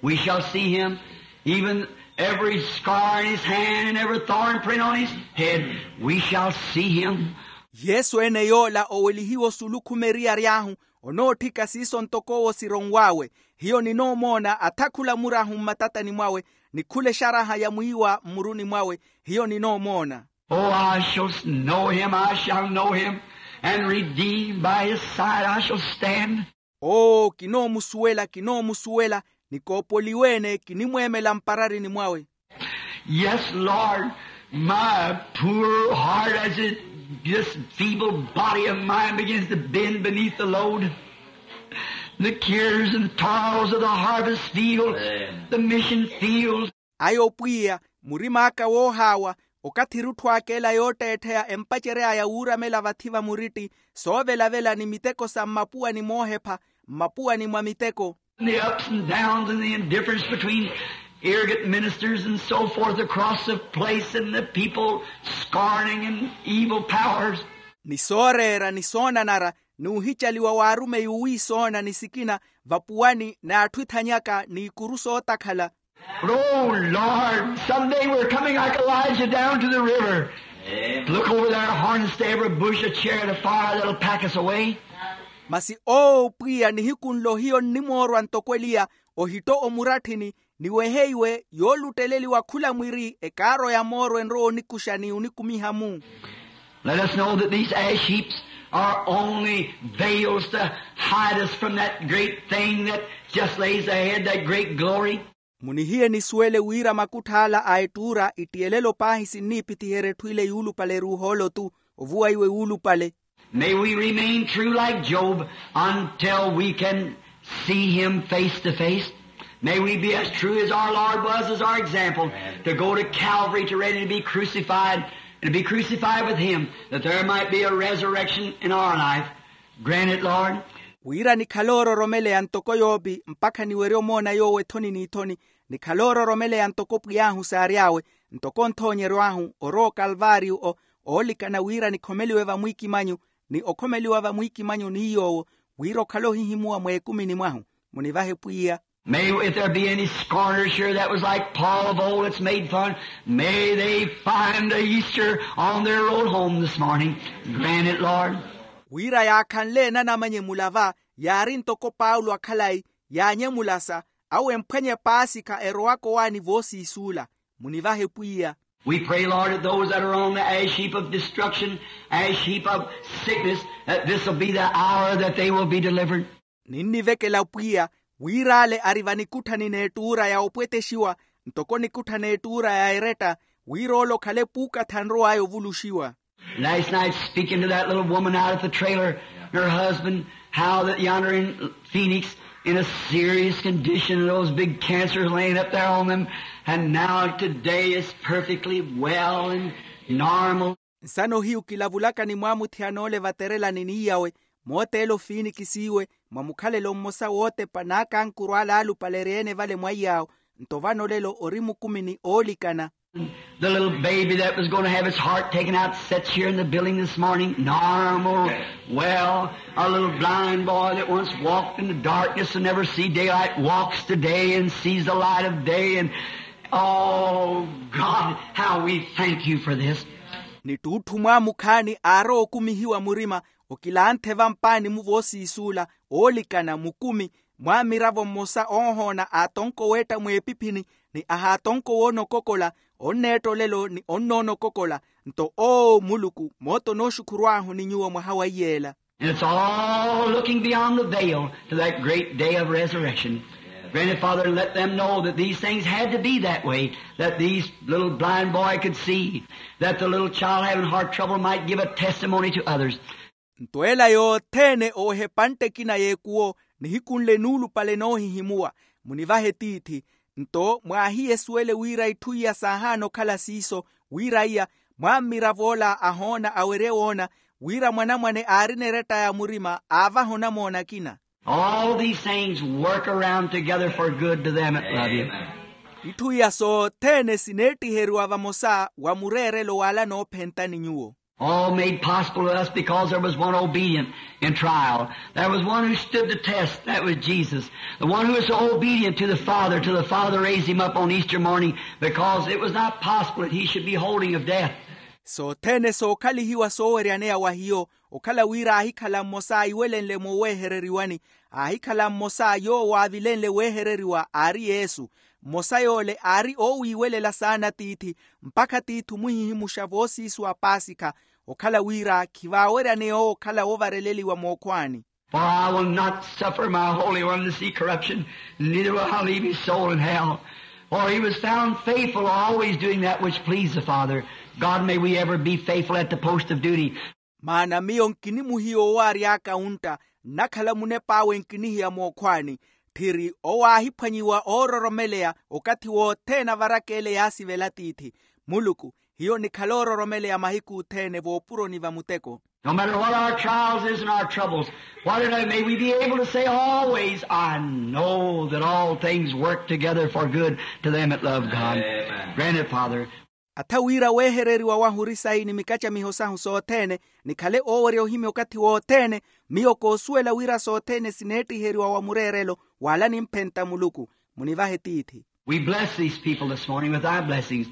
We shall see Him, even every scar in His hand and every thorn print on His head. We shall see Him. Yesu ene yoola owelihiwa osulu khuma eriyari ahu, onootthika siiso ntoko owo sironw'awe. Hiyo ninoomoona atha khula murahu mmatatani mwawe, ni khula exaraha ya mwiiwa mmuruni mwawe. Hiyo ninoomoona. Oh, I shall know Him, I shall know Him, and redeemed by His side I shall stand. Oo kinoomusuwela kinoomusuwela, ni koopoliwe-ene kinimweemela mpararini mwawe. Yes, Lord, my poor heart, as it, this feeble body of mine begins to bend beneath the load. The cares and toils of the harvest field, the mission field. Ayo pwiya, murim'aka woohaawa, okathi erutthu aka ela yootteettheya empacery'aya wuuramela vathi va muritti, soovelavela ni miteko sa mmapuwani moohepha, mmapuwani mwa miteko. The ups and downs and the indifference between arrogant ministers and so forth across the place, and the people scorning and evil powers. Ni sooreera ni soonanara, n'uhicaliwa w'arumeyi owiisoona ni sikina, vapuwani n'atthu ethanyaka n'ikuru sootakhala. But oh Lord, some day we're coming like Elijah down to the river. Look over there, harness to every bush a chariot of fire that'll pack us away. Masi owo pwiya nihiku nlo hiyo nnimoorwa ntoko eliya, ohitta omuratthini, ni weheiwe yoolutteleliwa khula mwiri ekaaro ya mooro enrowa onikuxa ni onikumiha-mu. Let us know that these ash heaps are only veils to hide us from that great thing that just lays ahead, that great glory. Munihiye nisuwele wira makuttha ala a ettuura ittiyelela opaahi sinniipithiherya etthu ile yuulupale eruuha ole-tu, ovuwa iwe wuulupale. May we remain true like Job until we can see him face to face. May we be as true as our Lord was, as our example, to go to Calvary, to ready to be crucified, and to be crucified with him, that there might be a resurrection in our life. Grant it, Lord. Wira nikhale oororomeleya ntoko yoopi mpakha niwerye omoona yoowo ethoni n'ithoni, nikhale oororomeleya ntoko pwiy'ahu saary'awe, ntoko nthoonyeryo ahu orowa okalvaariyo, oolikana wira nikhomeliwe vamwiikimanyu, ni okhomeliwa vamwiikimanyu n'iy'owo, wira okhale ohihimuwa mweekumini mwahu. Munivahe pwiya. May, if there be any scorners here that was like Paul of old that's made fun, may they find a Easter on their road home this morning. Grant it, Lord. Wira yaakhanle enanamanye mulava, yaari ntoko paulo akhalayi, yaanyemulasa, awo emphwanye paasikha erowaka owaani voosiisuula. Munivahe pwiya. We pray, Lord, that those that are on the ash heap of destruction, ash heap of sickness, that this will be the hour that they will be delivered. Ninnivekela pwiya, wir'ale ari vanikutthani n'ettuura ya opwetexiwa, ntoko nikutthani ettuura ya eretta, wir'ole okhale puukatha anrow'aya ovuluxiwa. Last night speaking to that little woman out at the trailer, her husband, how that yonder in Phoenix in a serious condition, those big cancers laying up there on them, and now today is perfectly well and normal. Nsano hiyu kilavulaka ni mwaamuthiyana ole vaterelani n'iyawe, mooteelo fiinikisiiwe, mwa mukhalelo mmosa wootepa n'akankuru ale aalupale eri-ene vale mwa iyaawo, nto vano olelo ori mukumini oolikana. The little baby that was going to have its heart taken out sits here in the building this morning, normal, well. A little blind boy that once walked in the darkness and never see daylight walks today and sees the light of day. And oh God, how we thank you for this. Ni ttuutthu mwaamukhaani aarowa okumihiwa murima, okilanthe vampaani-mu voosiisuula, oolikana mukumi, mwaamiravo mmosa oohoona aatonko weetta mweepiphini, ni ahaatonko woonokokola, onneetta olelo ni onnonokokola. Nto oo muluku moota onooxukhurw'ahu ni nyuwo mwaha wa iyeela. And it's all looking beyond the veil to that great day of resurrection. Granted, Father, let them know that these things had to be that way, that these little blind boy could see, that the little child having heart trouble might give a testimony to others. Nto ela yothene oweha epantte ekina y'ekuwo, nihiku nle nuulupale noohihimuwa. Munivahe tiithi. Nto mwaahiyesuwele wira itthu iya saahaana okhala siiso, wira iya, mwammirav'ola ahoona awerye woona, wira mwanamwane aarina eretta ya murima aavaha onamoona akina. All these things work around together for good to them that love you. Itthu iya sothene sineettiheriwa vamosa wa mureerelo w'ale anoophentani nyuwo. All made possible to us because there was one obedient in trial. There was one who stood the test. That was Jesus. The one who was so obedient to the Father, till the Father raised him up on Easter morning, because it was not possible that he should be holding of death. Sothene sookhalihiwa sooweryaneya wa hiyo, okhala wira aahikhala mmosa aiwelenle moowehereriwani, aahikhala mmosa yoowo aavilenle wehereriwa aari yesu. Mmosa yoole aari oowiiwelela saana tiithi, mpakha tiithi omuhihimuxa voosiisuwa paasikha, okhala wira khivaaweryaneya owo okhala woovareleliwa mookhwaani. For I will not suffer my Holy One to see corruption, neither will I leave his soul in hell. For he was found faithful, always doing that which pleased the Father. God, may we ever be faithful at the post of duty. Maana miyo nkinimuhiya owo aary'aka ontta, nnakhala munep'awe nkinihiya mookhwaani. Tthiri owo aahiphwanyiwa oororomeleya okathi wothene avaraka ele yaasivela tiithi. Muluku, hiyo nikhala oororomeleya mahiku othene voopuroni va muteko. No matter what our trials is and our troubles, whatever, may we be able to say always, I know that all things work together for good to them that love God. Amen. Grant it, Father. Atha wira weehereriwa wahu ori sayi ni mikacamiho sahu sothene, nikhale oowerya ohimya okathi wothene. Miyo koosuwela wira sothene sineettiheriwa wa mureerelo wala nimphenta muluku. Munivahe tiithi. We bless these people this morning with thy blessings.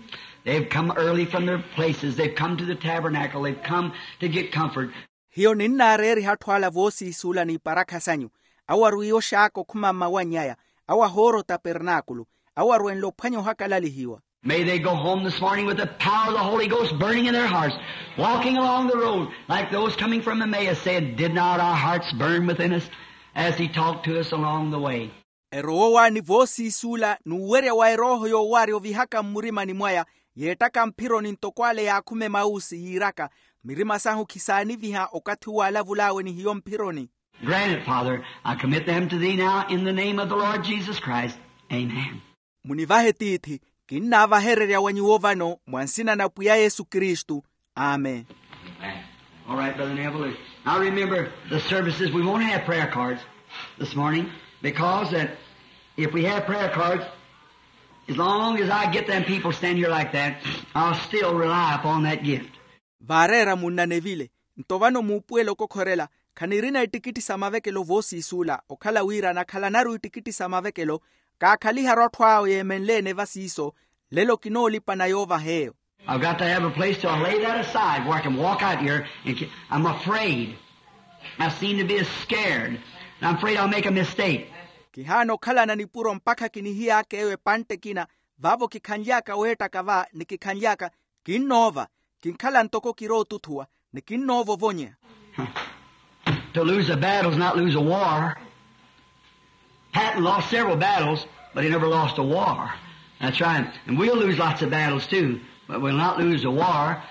They've come early from their places. They've come to the tabernacle. They've come to get comfort. Hiyo ninnaareeriha atthu ala voosiisuula n'iparakha sanyu. Awo arwiiye oxaaka okhuma mmawanny'aya. Awo ahoora otapernaakulu. Awo arwenle ophwanya ohakalalihiwa. May they go home this morning with the power of the Holy Ghost burning in their hearts, walking along the road like those coming from Emmaus, saying, did not our hearts burn within us as he talked to us along the way? Erowa owaani voosiisuula n'uwerya wa erooho yoowaarya ovihaka mmurimani mwaya, yeettaka mphironi ntoko ale yaakhume mausi yiiraka, mirima sahu khisaaniviha okathi uwo aalavul'awe ni hiyo mphironi. Grant it, Father. I commit them to thee now in the name of the Lord Jesus Christ. Amen. Munivahe tiithi. Kinnaavahererya wa nyuwo vano mwa nsina na pwiya yesu kristu. Amen. All right, Brother Neville. Now remember the services. We won't have prayer cards this morning because that if we have prayer cards, as long as I get them people stand here like that, I'll still rely upon that gift. Vaareera munna nevile. Nto vano muupuwela okokhorela, khanirina ittikitti sa mavekelo voosiisuula okhala wira nakhalanaru ittikitti sa mavekelo. Kaakhaliharu atthu awo yeemenle-ene va siiso. Lelo kinoolipana yoovah'eyo. I've got to have a place to lay that aside where I can walk out here. And ki- I'm afraid. I seem to be scared. And I'm afraid I'll make a mistake. Kihaana okhalana nipuro mpakha kinihiyaaka eyo epantte ekina. Vaavo kikhanly'aka weettaka va ni kikhanly'aka, kinnoova. Kinkhala ntoko kirootuthuwa ni kinnoova ovonya. To lose a battle is not lose a war. Patton lost several battles, but he never lost a war. That's right. And we'll lose lots of battles too, but we'll not lose a war.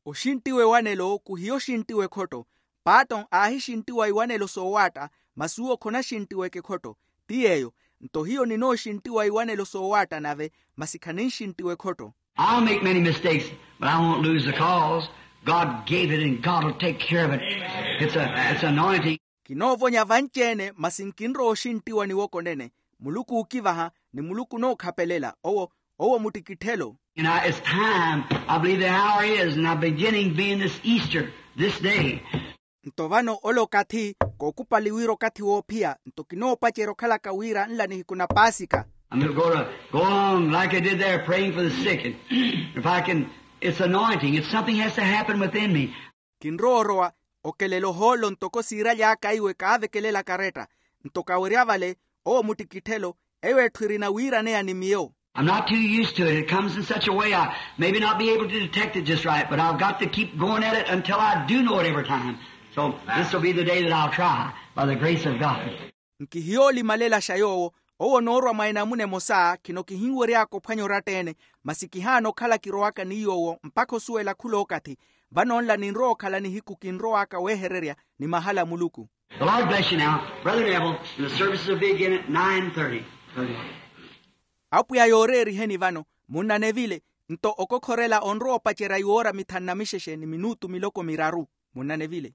Oxinttiwa ewanelo khuhiya oxinttiwa ekhotto. Patton aahixinttiwa iwanelo soowaatta, masi uwo khonaxinttiweke ekhotto. Ti yeeyo. Nto hiyo ninooxinttiwa iwanelo soowaatta nave, masi khaninxinttiwa ekhotto. I'll make many mistakes, but I won't lose the cause. God gave it and God will take care of it. It's a, it's anointing. Kinoovonya vanci-ene masi nkinrowa oxinttiwa niwoko nene. Muluku ookivaha, ni muluku onookhapelela owo. Owo muttikitthelo. And I, it's time. I believe the hour is and I'm beginning being this Easter, this day. Nto vano ole okathi, kookupali wira okathi woophiya nto kinoopacerya okhalaka wira nla nihiku na paasika. I'm going to go along like I did there praying for the sick. And if I can, it's anointing. It's something has to happen within me. Kinrowa orowa okelela ohoolo ntoko siiraly'aka iwe kaavekelela karetta. Nto kawerya vale, owo muttikitthelo. Eyo etthu erina wiiraneya ni miyo. I'm not too used to it. It comes in such a way I maybe not be able to detect it just right, but I've got to keep going at it until I do know it every time. So this will be the day that I'll try by the grace of God. Nkihiyoolimalelaxa yoowo. Owo onoorwa mwa enamuna emosa khino kihinwery'aka ophwanya oratta-ene. Masi kihaana okhala kirowaka ni yoowo mpakha osuwela khul'okathi. Vano nla ninrowa okhala nihiku kinrow'aka weehererya ni mahala a muluku. The Lord bless you now. Brother Neville, the services will begin at nine thirty. Apwiya yooreeriheni vano. Munna nevile. Nto okokhorela onrowa opacerya iwoora mithanu na mixexe ni minutu miloko miraru. Munna nevile.